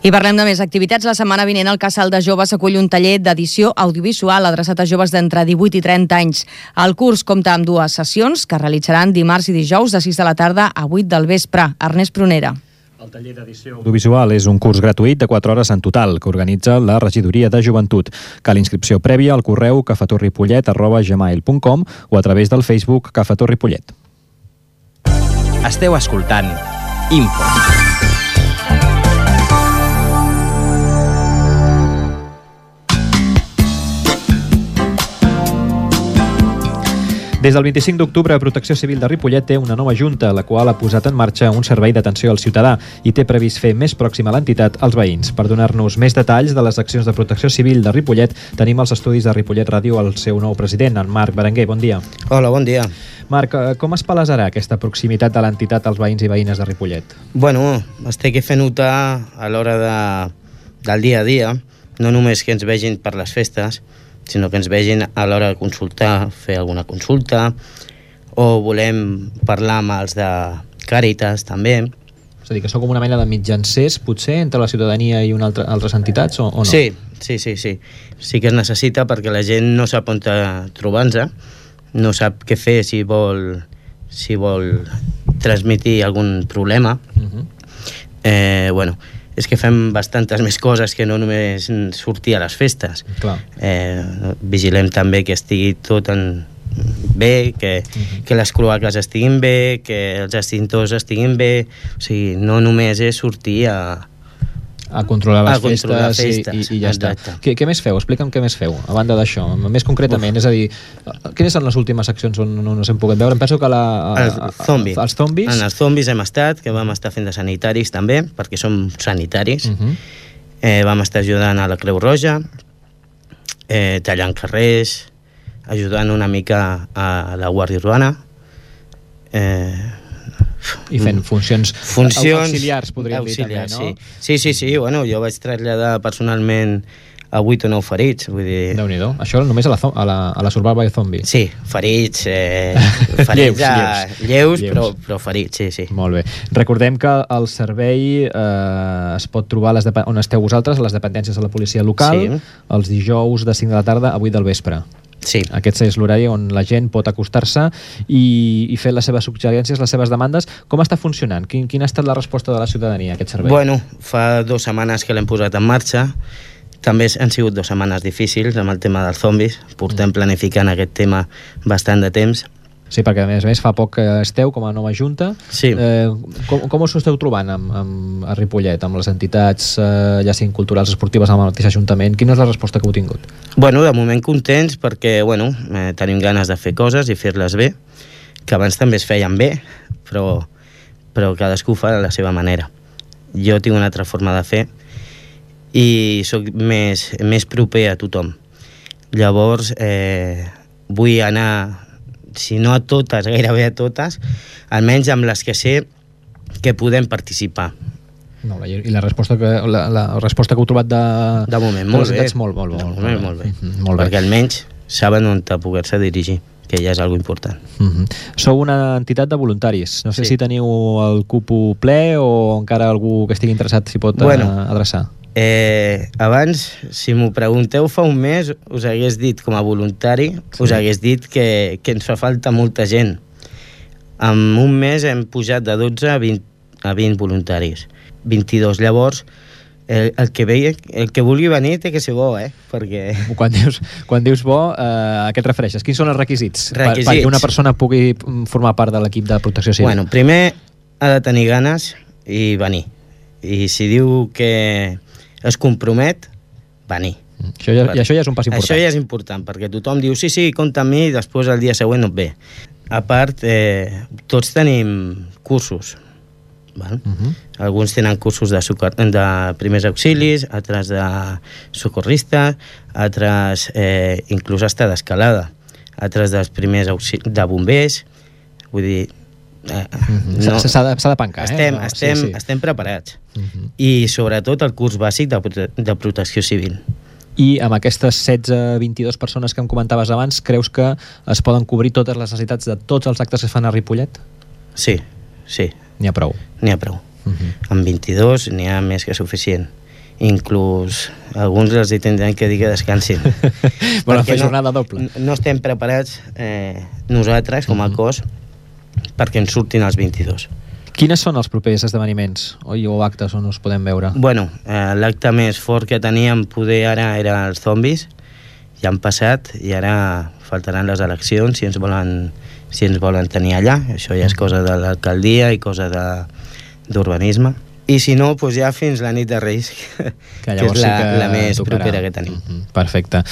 Speaker 2: I parlem de més activitats. La setmana vinent el Casal de Joves acull un taller d'edició audiovisual adreçat a joves d'entre 18 i 30 anys. El curs compta amb 2 sessions que realitzaran dimarts i dijous de 6 de la tarda a 8 del vespre. Ernest Prunera.
Speaker 17: El taller d'edició audiovisual és un curs gratuït de 4 hores en total que organitza la Regidoria de Joventut. Cal inscripció prèvia al correu cafetorripollet@gmail.com o a través del Facebook Cafetorripollet.
Speaker 1: Esteu escoltant Info.
Speaker 17: Des del 25 d'octubre, Protecció Civil de Ripollet té una nova junta, la qual ha posat en marxa un servei d'atenció al ciutadà i té previst fer més pròxima l'entitat als veïns. Per donar-nos més detalls de les accions de Protecció Civil de Ripollet, tenim als estudis de Ripollet Ràdio el seu nou president, en Marc Berenguer. Bon dia.
Speaker 18: Hola, bon dia.
Speaker 17: Marc, com es palesarà aquesta proximitat de l'entitat als veïns i veïnes de Ripollet?
Speaker 18: Bueno, es té que fer notar a l'hora del dia a dia, no només que ens vegin per les festes, sinó que ens vegin a l'hora de consultar, fer alguna consulta, o volem parlar amb els de Càritas, també.
Speaker 17: És a dir, que sou com una mena de mitjancers, potser, entre la ciutadania i altres entitats, o no?
Speaker 18: Sí. Sí que es necessita perquè la gent no sap on trobar-se, no sap què fer si vol transmetre algun problema. És que fem bastantes més coses que no només sortir a les festes. Vigilem també que estigui tot bé, que les cloaques estiguin bé, que els extintors estiguin bé. O sigui, no només és sortir a
Speaker 17: controlar les festes i ja està. Què més feu? Explica'm què més feu, a banda d'això, més concretament. És a dir, quines són les últimes accions on no us hem pogut veure? Em penso que
Speaker 18: els zombis. En els zombis hem estat, que vam estar fent de sanitaris també, perquè som sanitaris. Vam estar ajudant a la Creu Roja, tallant carrers, ajudant una mica a la Guàrdia Urbana,
Speaker 17: i fent funcions auxiliars, podríem dir també, no?
Speaker 18: Sí, bueno, jo vaig traslladar personalment a 8 o 9 ferits, vull dir...
Speaker 17: Déu-n'hi-do, això només a la Survival Zombie.
Speaker 18: Sí, ferits, lleus, però ferits, sí.
Speaker 17: Molt bé. Recordem que el servei es pot trobar on esteu vosaltres, a les dependències de la policia local, els dijous de 5 de la tarda a 8 del vespre.
Speaker 18: Sí.
Speaker 17: Aquest és l'horari on la gent pot acostar-se i fer les seves suggerències, les seves demandes. Com està funcionant? Quina ha estat la resposta de la ciutadania a aquest servei?
Speaker 18: Bueno, fa 2 setmanes que l'hem posat en marxa. També han sigut 2 setmanes difícils amb el tema dels zombis. Portem planificant aquest tema bastant de temps.
Speaker 17: Sí, perquè a més fa poc que esteu com a nova junta.
Speaker 18: Sí.
Speaker 17: Com us esteu trobant a Ripollet, amb les entitats, ja siguin culturals, esportives, amb el mateix ajuntament? Quina és la resposta que heu tingut?
Speaker 18: Bueno, de moment contents perquè, tenim ganes de fer coses i fer-les bé, que abans també es feien bé, però cadascú fa de la seva manera. Jo tinc una altra forma de fer i sóc més proper a tothom. Llavors, vull anar si no a totes, gairebé a totes, almenys amb les que sé que podem participar.
Speaker 17: Molt bé. I la resposta que heu trobat de
Speaker 18: moment, molt bé.
Speaker 17: Molt bé.
Speaker 18: Perquè almenys saben on poder-se dirigir, que ja és algo important.
Speaker 17: Sou una entitat de voluntaris. No sé si teniu el cupo ple o encara algú que estigui interessat s'hi pot adreçar.
Speaker 18: Abans, si m'ho pregunteu fa un mes, us hagués dit com a voluntari, us hagués dit que ens fa falta molta gent. En un mes hem pujat de 12 a 20 voluntaris. 22. Llavors, el que vulgui venir té que ser bo, perquè...
Speaker 17: Quan dius bo, a què et refereixes? Quins són els requisits? Perquè una persona pugui formar part de l'equip de protecció civil.
Speaker 18: Bueno, primer ha de tenir ganes i venir. I si diu que es compromet, venir.
Speaker 17: Això ja és un pas important.
Speaker 18: Això ja és important, perquè tothom diu sí, compta amb mi, i després el dia següent no et ve. A part, tots tenim cursos. Alguns tenen cursos de primers auxilis, altres de socorristes, altres inclús hasta d'escalada, altres dels primers auxilis de bombers. Vull dir,
Speaker 17: s'ha de pencar.
Speaker 18: Estem preparats. I sobretot el curs bàsic de protecció civil.
Speaker 17: I amb aquestes 16-22 persones que em comentaves abans, creus que es poden cobrir totes les necessitats de tots els actes que es fan a Ripollet?
Speaker 18: Sí.
Speaker 17: N'hi ha prou.
Speaker 18: Amb 22 n'hi ha més que suficient. Inclús alguns els tindran que dir que descansin.
Speaker 17: Volen fer jornada doble.
Speaker 18: No estem preparats nosaltres com a cos perquè ens surtin els 22.
Speaker 17: Quines són els propers esdeveniments o actes on us podem veure?
Speaker 18: Bueno, l'acte més fort que teníem poder ara era els zombis. Ja han passat i ara faltaran les eleccions si ens volen tenir allà. Això ja és cosa de l'alcaldia i cosa d'urbanisme. I si no, doncs ja fins la nit de Reis, que és la més propera que tenim.
Speaker 17: Perfecte.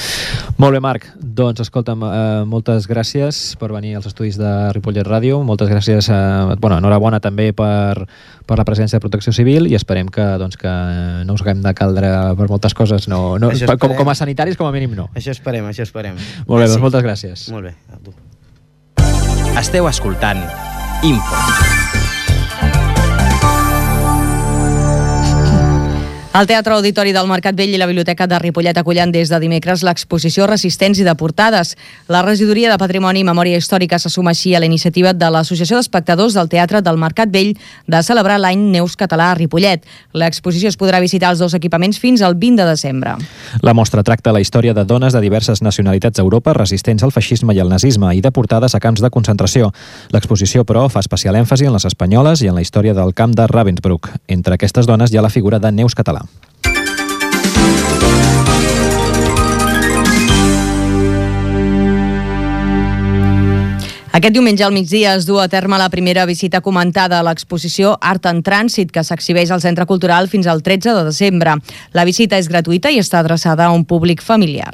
Speaker 17: Molt bé, Marc. Doncs, escolta'm, moltes gràcies per venir als estudis de Ripollet Ràdio. Moltes gràcies, enhorabona també per la presència de Protecció Civil i esperem que no us haguem de caldre per moltes coses. Com a sanitaris, com a mínim, no.
Speaker 18: Això esperem.
Speaker 17: Molt bé, doncs moltes gràcies.
Speaker 18: Molt bé, a tu.
Speaker 1: Esteu escoltant Info.
Speaker 2: El Teatre Auditori del Mercat Vell i la Biblioteca de Ripollet acullen des de dimecres l'exposició Resistents i Deportades. La Regidoria de Patrimoni i Memòria Històrica se suma així a la iniciativa de l'Associació d'Espectadors del Teatre del Mercat Vell de celebrar l'any Neus Català a Ripollet. L'exposició es podrà visitar els dos equipaments fins al 20 de desembre.
Speaker 17: La mostra tracta la història de dones de diverses nacionalitats d'Europa resistents al feixisme i al nazisme i deportades a camps de concentració. L'exposició, però, fa especial èmfasi en les espanyoles i en la història del camp de Ravensbrück. Entre aquestes dones hi ha la figura de Neus Català.
Speaker 2: Aquest diumenge al migdia es du a terme la primera visita comentada a l'exposició Art en Trànsit, que s'exhibeix al Centre Cultural fins al 13 de desembre. La visita és gratuïta i està adreçada a un públic familiar.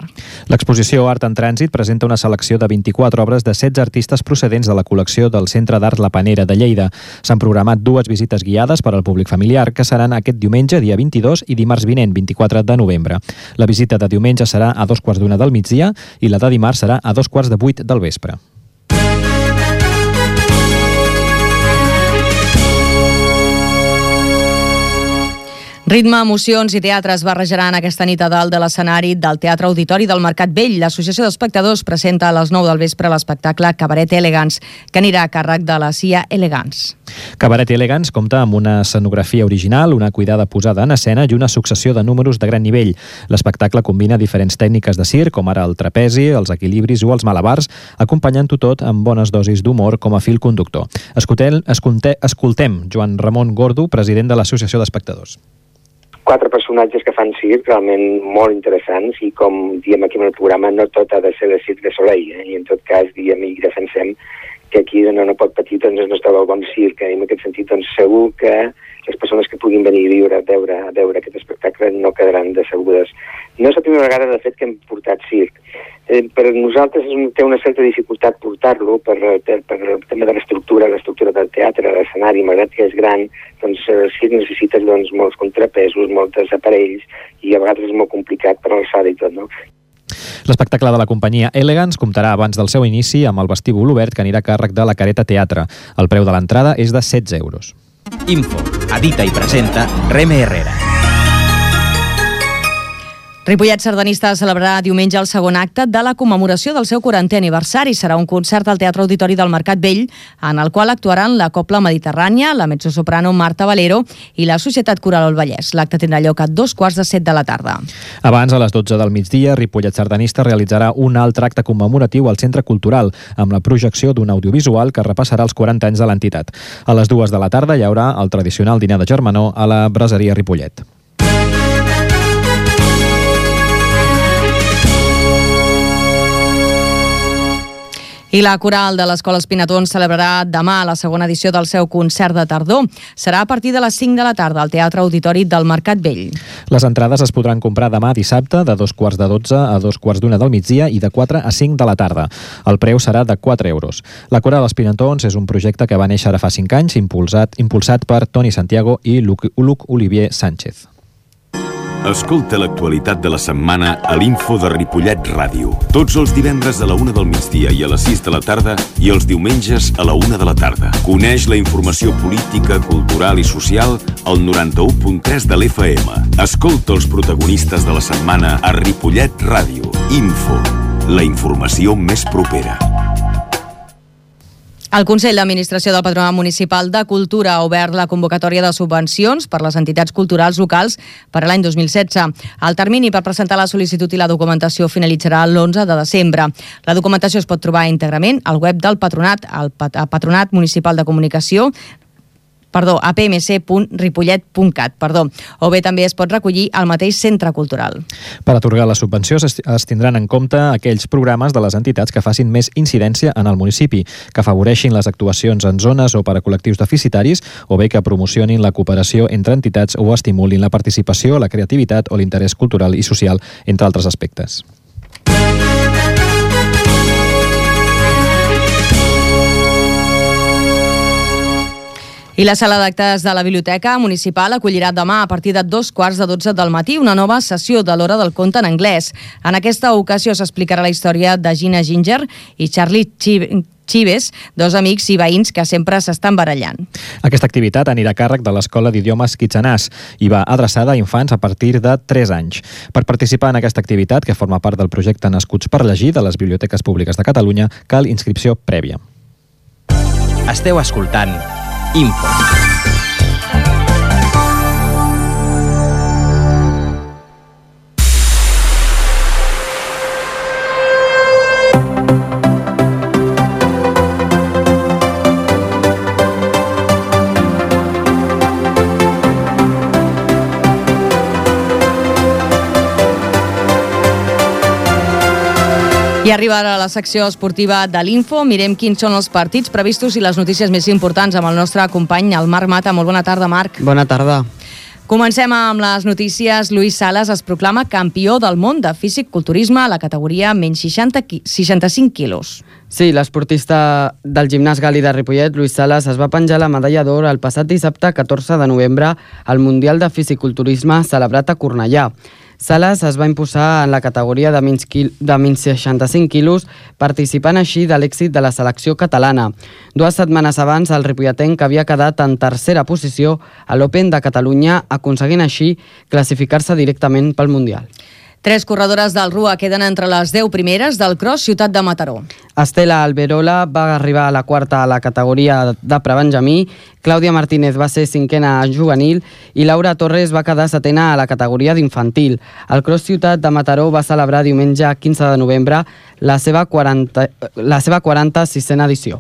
Speaker 17: L'exposició Art en Trànsit presenta una selecció de 24 obres de 16 artistes procedents de la col·lecció del Centre d'Art La Panera de Lleida. S'han programat 2 visites guiades per al públic familiar, que seran aquest diumenge, dia 22, i dimarts vinent, 24 de novembre. La visita de diumenge serà a 2:15 del migdia i la de dimarts serà a 7:45 del vespre.
Speaker 2: Ritme, emocions i teatre es barrejaran aquesta nit a dalt de l'escenari del Teatre Auditori del Mercat Vell. L'Associació d'Espectadors presenta a les 9 del vespre l'espectacle Cabaret Elegance, que anirà a càrrec de la CIA Elegance.
Speaker 17: Cabaret Elegance compta amb una escenografia original, una cuidada posada en escena i una successió de números de gran nivell. L'espectacle combina diferents tècniques de circ, com ara el trapezi, els equilibris o els malabars, acompanyant-ho tot amb bones dosis d'humor com a fil conductor. Escoltem Joan Ramon Gordo, president de l'Associació d'Espectadors.
Speaker 19: 4 personatges que fan circ realment molt interessants i com diem aquí en el programa no tot ha de ser de circ de Soleil i en tot cas diem i defensem que aquí no pot patir doncs, el nostre bon circ i en aquest sentit doncs, segur que les persones que puguin venir a veure aquest espectacle no quedaran decebudes. No és la primera vegada de fet que hem portat circ. Per nosaltres té una certa dificultat portar-lo per el tema de l'estructura del teatre, l'escenari, malgrat que és gran, doncs el circ necessita molts contrapesos, molts aparells i a vegades és molt complicat per alçada i tot, no?
Speaker 17: L'espectacle de la companyia Elegance comptarà abans del seu inici amb el vestíbul obert que anirà a càrrec de la Careta Teatre. El preu de l'entrada és de 16 euros.
Speaker 1: Info, edita i presenta Reme Herrera.
Speaker 2: Ripollet Sardanista celebrarà diumenge el segon acte de la commemoració del seu 40è aniversari. Serà un concert al Teatre Auditori del Mercat Vell, en el qual actuaran la Cobla Mediterrània, la mezzosoprano Marta Valero i la Societat Coral El Vallès. L'acte tindrà lloc a 7:15 de la tarda.
Speaker 17: Abans, a les 12 del migdia, Ripollet Sardanista realitzarà un altre acte commemoratiu al Centre Cultural, amb la projecció d'un audiovisual que repassarà els 40 anys de l'entitat. A les 2 de la tarda hi haurà el tradicional dinar de germanor a la Braseria Ripollet.
Speaker 2: I la coral de l'Escola Espinatons celebrarà demà la segona edició del seu concert de tardor. Serà a partir de les 5 de la tarda al Teatre Auditori del Mercat Vell.
Speaker 17: Les entrades es podran comprar demà dissabte de 2:15 a 2:15 del migdia i de 4 a 5 de la tarda. El preu serà de 4 euros. La coral Espinatons és un projecte que va néixer ara fa 5 anys, impulsat per Toni Santiago i Luc Olivier Sánchez.
Speaker 11: Escolta l'actualitat de la setmana a l'Info de Ripollet Ràdio. Tots els divendres a la 1 del migdia i a les 6 de la tarda i els diumenges a la 1 de la tarda. Coneix la informació política, cultural i social al 91.3 de l'FM. Escolta els protagonistes de la setmana a Ripollet Ràdio. Info, la informació més propera.
Speaker 2: El Consell d'Administració del Patronat Municipal de Cultura ha obert la convocatòria de subvencions per les entitats culturals locals per a l'any 2016. El termini per presentar la sol·licitud i la documentació finalitzarà l'11 de desembre. La documentació es pot trobar íntegrament al web del Patronat, al Patronat Municipal de Comunicació, apmc.ripollet.cat, o bé també es pot recollir al mateix centre cultural.
Speaker 17: Per atorgar la subvenció es tindran en compte aquells programes de les entitats que facin més incidència en el municipi, que afavoreixin les actuacions en zones o per a col·lectius deficitaris, o bé que promocionin la cooperació entre entitats o estimulin la participació, la creativitat o l'interès cultural i social, entre altres aspectes.
Speaker 2: I la sala d'actes de la Biblioteca Municipal acollirà demà a partir de 2:15 del matí una nova sessió de l'Hora del Conte en anglès. En aquesta ocasió s'explicarà la història de Gina Ginger i Charlie Chives, dos amics i veïns que sempre s'estan barallant.
Speaker 17: Aquesta activitat anirà a càrrec de l'Escola d'Idiomes Kitxanàs i va adreçada a infants a partir de 3 anys. Per participar en aquesta activitat, que forma part del projecte Nascuts per Llegir de les Biblioteques Públiques de Catalunya, cal inscripció prèvia.
Speaker 1: Esteu escoltant Info.
Speaker 2: I arriba ara la secció esportiva de l'Info. Mirem quins són els partits previstos i les notícies més importants amb el nostre company, el Marc Mata. Molt bona tarda, Marc.
Speaker 20: Bona tarda.
Speaker 2: Comencem amb les notícies. Luis Salas es proclama campió del món de físic-culturisme a la categoria menys 65 quilos.
Speaker 20: Sí, l'esportista del gimnàs gal·li de Ripollet, Luis Salas, es va penjar la medalla d'or el passat dissabte 14 de novembre al Mundial de Físic-Culturisme celebrat a Cornellà. Salas es va imposar en la categoria de menys 65 quilos, participant així de l'èxit de la selecció catalana. 2 setmanes abans, el ripolletenc havia quedat en tercera posició a l'Open de Catalunya, aconseguint així classificar-se directament pel Mundial.
Speaker 2: 3 corredores del RUA queden entre les 10 primeres del Cross Ciutat de Mataró.
Speaker 20: Estela Alberola va arribar a la quarta a la categoria de prebenjamí, Clàudia Martínez va ser 5a a juvenil i Laura Torres va quedar 7a a la categoria d'infantil. El Cross Ciutat de Mataró va celebrar diumenge 15 de novembre la seva 46a edició.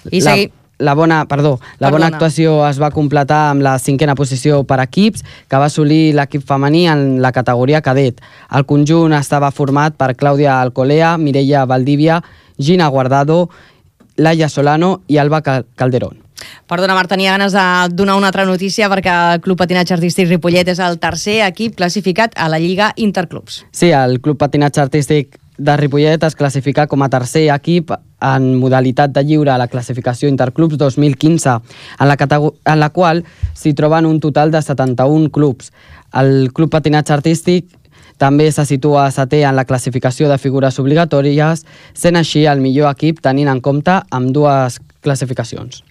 Speaker 2: I seguim.
Speaker 20: La bona actuació es va completar amb la 5a posició per equips, que va assolir l'equip femení en la categoria cadet. El conjunt estava format per Clàudia Alcolea, Mireia Valdivia, Gina Guardado, Laia Solano i Alba Calderón.
Speaker 2: Perdona, Marc, tenia ganes de donar una altra notícia perquè el Club Patinatge Artístic Ripollet és el tercer equip classificat a la Lliga Interclubs.
Speaker 20: Sí, el Club Patinatge Artístic de Ripollet es classifica com a tercer equip en modalitat de lliure a la classificació Interclubs 2015, en la qual s'hi troben un total de 71 clubs. El Club Patinatge Artístic També se situa setè en la classificació de figures obligatòries, sent així el millor equip tenint en compte ambdues classificacions.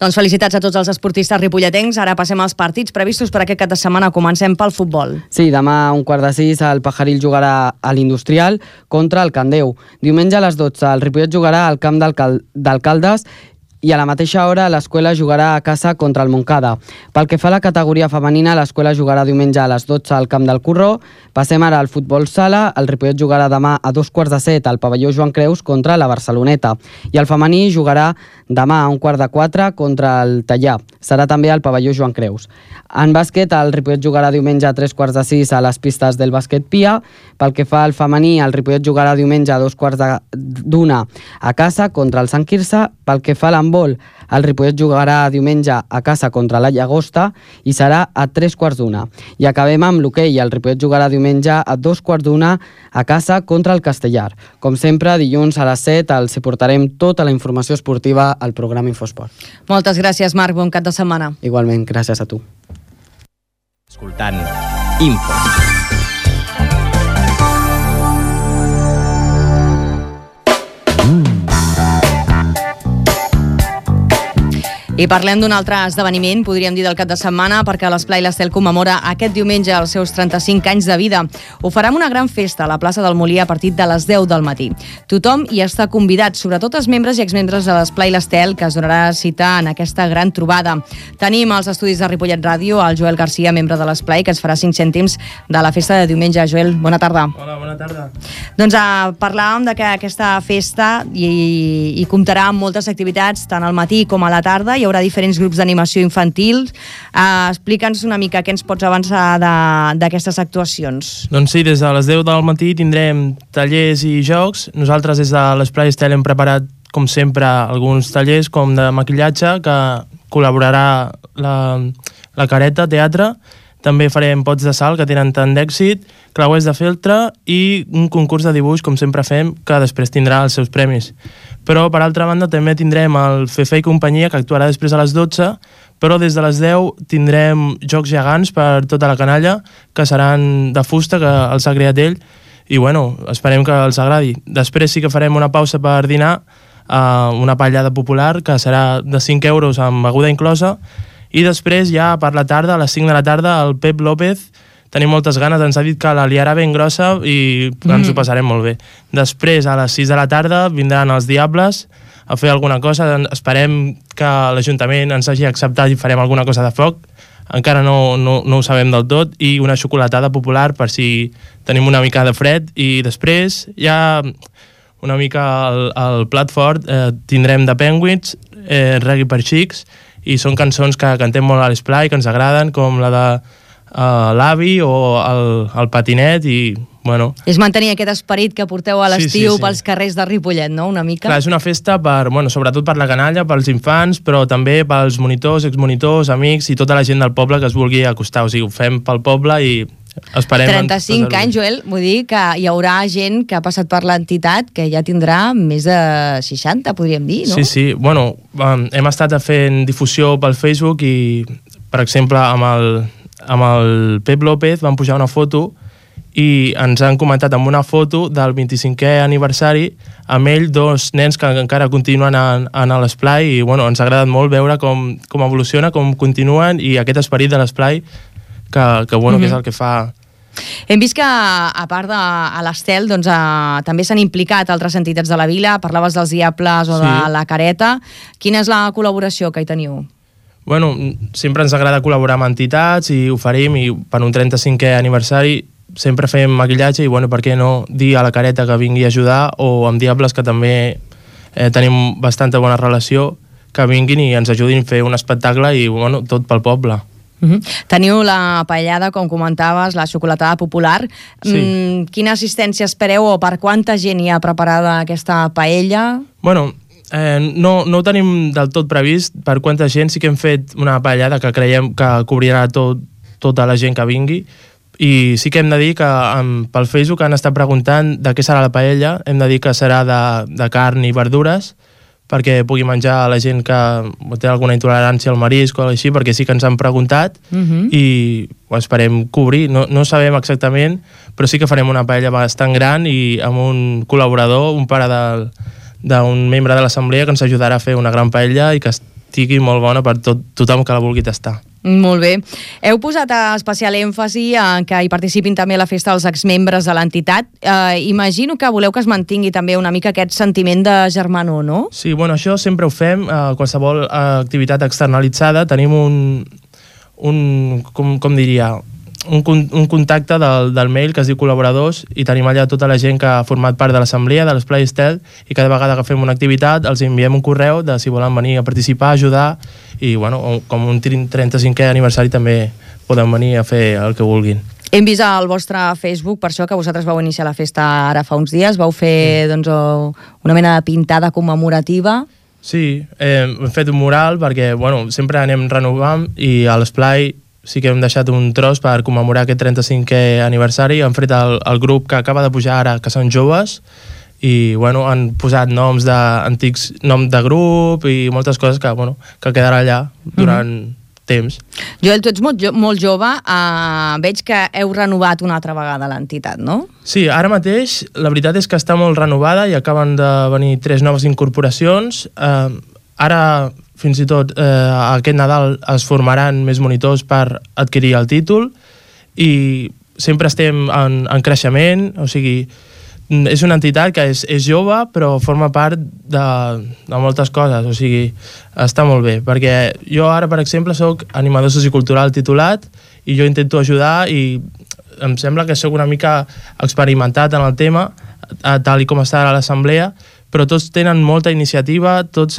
Speaker 2: Doncs felicitats a tots els esportistes ripolletens. Ara passem als partits previstos per aquest cap de setmana. Comencem pel futbol.
Speaker 20: Sí, demà a 5:15 el Pajaril jugarà a l'Industrial contra el Candeu. Diumenge a les 12 el Ripollet jugarà al camp d'Alcaldes i a la mateixa hora l'Escuela jugarà a casa contra el Montcada. Pel que fa a la categoria femenina, l'Escuela jugarà diumenge a les 12 al camp del Corró. Passem ara al futbol sala. El Ripollet jugarà demà a 2:15 al pavelló Joan Creus contra la Barceloneta. I el femení jugarà demà a 3:15 contra el Tallà. Serà també al pavelló Joan Creus. En bàsquet, el Ripollet jugarà diumenge a 3:15 a les pistes del Bàsquet Pia. Pel que fa al femení, el Ripollet jugarà diumenge a 2:15 a casa contra el Sant Quirze. Pel que fa a l'handbol, el Ripollet jugarà diumenge a casa contra la Llagosta i serà a 3:15. I acabem amb l'hoquei. El Ripollet jugarà diumenge a 2:15 a casa contra el Castellar. Com sempre, dilluns a les 7 els portarem tota la informació esportiva al programa Infosport.
Speaker 2: Moltes gràcies, Marc. Bon cap de setmana.
Speaker 20: Igualment, gràcies a tu.
Speaker 1: Escoltant Info.
Speaker 2: I parlem d'un altre esdeveniment, podríem dir del cap de setmana, perquè l'Esplai l'Estel commemora aquest diumenge els seus 35 anys de vida. Ho farà amb una gran festa a la plaça del Molí a partir de les 10 del matí. Tothom hi està convidat, sobretot els membres i exmembres de l'Esplai l'Estel, que es donarà cita en aquesta gran trobada. Tenim als estudis de Ripollet Ràdio el Joel Garcia, membre de l'Esplai, que ens farà 5 cèntims de la festa de diumenge. Joel, bona tarda.
Speaker 21: Hola, bona tarda.
Speaker 2: Doncs parlàvem de que aquesta festa hi comptarà amb moltes activitats, tant al matí com a la tarda. Hi haurà diferents grups d'animació infantil. Explica'ns una mica què ens pots avançar d'aquestes actuacions.
Speaker 21: Doncs sí, des de les 10 del matí tindrem tallers i jocs. Nosaltres des de l'Esplai Estel hem preparat, com sempre, alguns tallers com de maquillatge, que col·laborarà la Careta Teatre. També farem pots de sal, que tenen tant d'èxit, clauers de feltre i un concurs de dibuix, com sempre fem, que després tindrà els seus premis. Però, per altra banda, també tindrem el Fefe i companyia, que actuarà després a les 12, però des de les 10 tindrem jocs gegants per tota la canalla, que seran de fusta, que els ha creat ell, i bueno, esperem que els agradi. Després sí que farem una pausa per dinar, una pallada popular, que serà de 5 euros amb beguda inclosa, i després ja per la tarda, a les 5 de la tarda, el Pep López, tenim moltes ganes, ens ha dit que la liarà ben grossa i ens ho passarem molt bé. Després, a les 6 de la tarda, vindran els Diables a fer alguna cosa. Esperem que l'Ajuntament ens hagi acceptat i farem alguna cosa de foc. Encara no ho sabem del tot. I una xocolatada popular per si tenim una mica de fred. I després, ja una mica al plat fort, tindrem The Penguins, Reggae per Xics, i són cançons que cantem molt a l'Esplai, que ens agraden, com la de l'avi o el patinet, i bueno...
Speaker 2: És mantenir aquest esperit que porteu a l'estiu
Speaker 21: sí.
Speaker 2: pels carrers de Ripollet, no? Una mica.
Speaker 21: Clar, és una festa sobretot per la canalla, pels infants, però també pels monitors, exmonitors, amics i tota la gent del poble que es vulgui acostar. O sigui, ho fem pel poble i esperem...
Speaker 2: 35 anys, Joel, vull dir que hi haurà gent que ha passat per l'entitat que ja tindrà més de 60, podríem dir, no?
Speaker 21: Sí. Bueno, hem estat fent difusió pel Facebook i, per exemple, amb el Pep López van pujar una foto i ens han comentat amb una foto del 25è aniversari amb ell 2 nens que encara continuen a l'Esplai i bueno, ens ha agradat molt veure com evoluciona, com continuen i aquest esperit de l'Esplai que és el que fa...
Speaker 2: Hem vist que, a part de l'Estel, doncs, també s'han implicat altres entitats de la vila. Parlaves dels Diables o de la Careta. Quina és la col·laboració que hi teniu?
Speaker 21: Bueno, sempre ens agrada col·laborar amb entitats i oferim, i per un 35è aniversari sempre fem maquillatge i, bueno, per què no dir a la Careta que vingui a ajudar, o amb Diables, que també tenim bastanta bona relació, que vinguin i ens ajudin a fer un espectacle i, bueno, tot pel poble.
Speaker 2: Teniu la paellada, com comentaves, la xocolatada popular.
Speaker 21: Sí.
Speaker 2: Quina assistència espereu o per quanta gent hi ha preparada aquesta paella?
Speaker 21: Bueno, no ho tenim del tot previst per quanta gent. Sí que hem fet una paellada que creiem que cobrirà tota la gent que vingui, i sí que hem de dir que pel Facebook han estat preguntant de què serà la paella. Hem de dir que serà de carn i verdures, perquè pugui menjar la gent que té alguna intolerància al marisc o així, perquè sí que ens han preguntat i ho esperem cobrir. No sabem exactament, però sí que farem una paella bastant gran i amb un col·laborador, un pare d'un membre de l'assemblea que ens ajudarà a fer una gran paella i que estigui molt bona per tothom que la vulgui tastar.
Speaker 2: Molt bé. Heu posat especial èmfasi en que hi participin també a la festa els exmembres de l'entitat. Imagino que voleu que es mantingui també una mica aquest sentiment de germanor, no?
Speaker 21: Sí, bueno, això sempre ho fem. Qualsevol activitat externalitzada tenim com diria, un contacte del mail que es diu col·laboradors i tenim allà tota la gent que ha format part de l'assemblea, de l'Esplai Estel, i cada vegada que fem una activitat els enviem un correu de si volen venir a participar, ajudar, i bueno, com un 35è aniversari també poden venir a fer el que vulguin.
Speaker 2: Hem vist al vostre Facebook, per això que vosaltres vau iniciar la festa ara fa uns dies, vau fer doncs, una mena de pintada commemorativa.
Speaker 21: Sí, hem fet un mural perquè bueno, sempre anem renovant i a l'Esplai sí que hem deixat un tros per commemorar aquest 35è aniversari. Han fet el grup que acaba de pujar ara, que són joves, i bueno, han posat noms d'antics nom de grup i moltes coses que quedarà allà durant temps.
Speaker 2: Joel, tu ets molt jove, veig que heu renovat una altra vegada l'entitat, no?
Speaker 21: Sí, ara mateix la veritat és que està molt renovada i acaben de venir 3 noves incorporacions. Ara fins i tot aquest Nadal es formaran més monitors per adquirir el títol i sempre estem en creixement, o sigui, és una entitat que és jove però forma part de moltes coses, o sigui, està molt bé, perquè jo ara, per exemple, soc animador sociocultural titulat i jo intento ajudar i em sembla que soc una mica experimentat en el tema, tal com està a l'assemblea, però tots tenen molta iniciativa, tots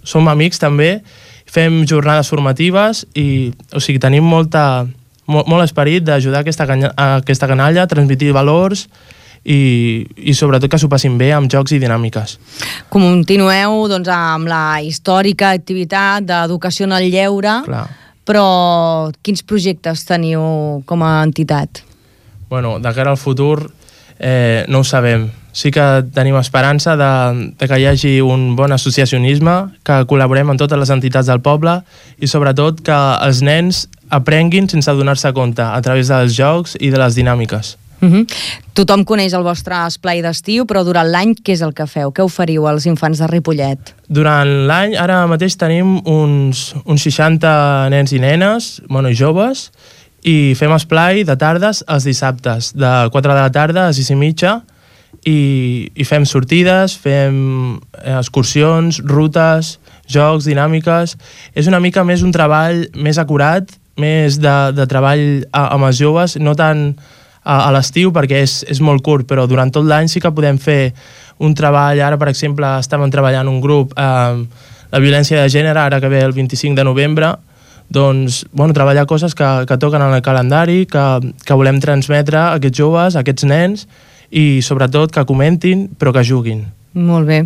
Speaker 21: som amics també, fem jornades formatives i o sigui, tenim molt esperit d'ajudar aquesta canalla, transmetre valors i sobretot que s'ho passin bé amb jocs i dinàmiques.
Speaker 2: Continueu doncs, amb la històrica activitat d'educació en el lleure, però quins projectes teniu com a entitat?
Speaker 21: Bueno, de cara al futur no ho sabem. Sí que tenim esperança de que hi hagi un bon associacionisme, que col·laborem amb totes les entitats del poble i sobretot que els nens aprenguin sense donar-se compte a través dels jocs i de les dinàmiques.
Speaker 2: Tothom coneix el vostre esplai d'estiu, però durant l'any què és el que feu? Què oferiu als infants de Ripollet?
Speaker 21: Durant l'any, ara mateix tenim uns 60 nens i nenes, joves, i fem esplai de tardes als dissabtes, de 4 de la tarda a 6:30, i fem sortides, fem excursions, rutes, jocs, dinàmiques. És una mica més un treball més acurat, més de treball amb els joves, no tant a l'estiu perquè és molt curt, però durant tot l'any sí que podem fer un treball. Ara, per exemple, estàvem treballant un grup la violència de gènere, ara que ve el 25 de novembre, doncs, treballar coses que toquen en el calendari, que volem transmetre a aquests joves, a aquests nens, i sobretot que comentin però que juguin.
Speaker 2: Molt bé.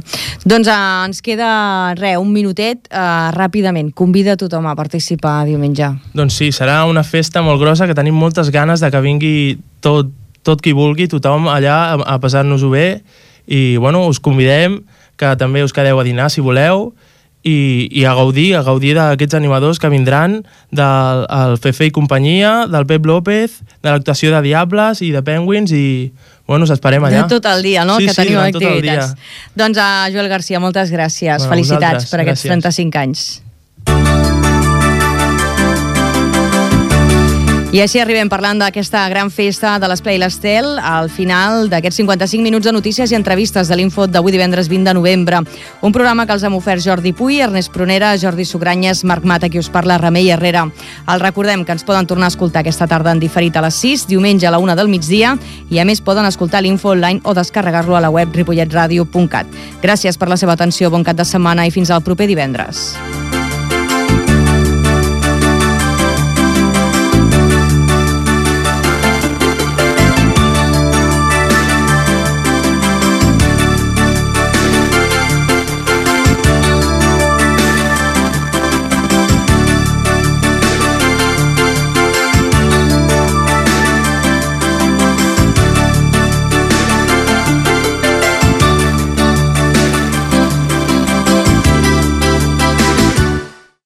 Speaker 2: Doncs ens queda un minutet, ràpidament. Convida tothom a participar diumenge.
Speaker 21: Doncs sí, serà una festa molt grossa que tenim moltes ganes de que vingui tot qui vulgui, tothom allà a passar-nos-ho bé i us convidem que també us quedeu a dinar si voleu i a gaudir d'aquests animadors que vindran del Fefe i companyia, del Pep López, de l'actuació de Diables i de Penguins i us esperem allà.
Speaker 2: De tot el dia, no?
Speaker 21: Sí,
Speaker 2: que teniu activitats.
Speaker 21: Tot el dia.
Speaker 2: Doncs Joel Garcia, moltes gràcies. Felicitats per aquests 35 anys. I així arribem parlant d'aquesta gran festa de l'Esplai l'Estel al final d'aquests 55 minuts de notícies i entrevistes de l'Info d'avui divendres 20 de novembre. Un programa que els hem ofert Jordi Puy, Ernest Prunera, Jordi Sugranyes, Marc Mata, qui us parla, Remei Herrera. Els recordem que ens poden tornar a escoltar aquesta tarda en diferit a les 6, diumenge a la 1 del migdia, i a més poden escoltar l'Info online o descarregar-lo a la web ripolletradio.cat. Gràcies per la seva atenció, bon cap de setmana i fins al proper divendres.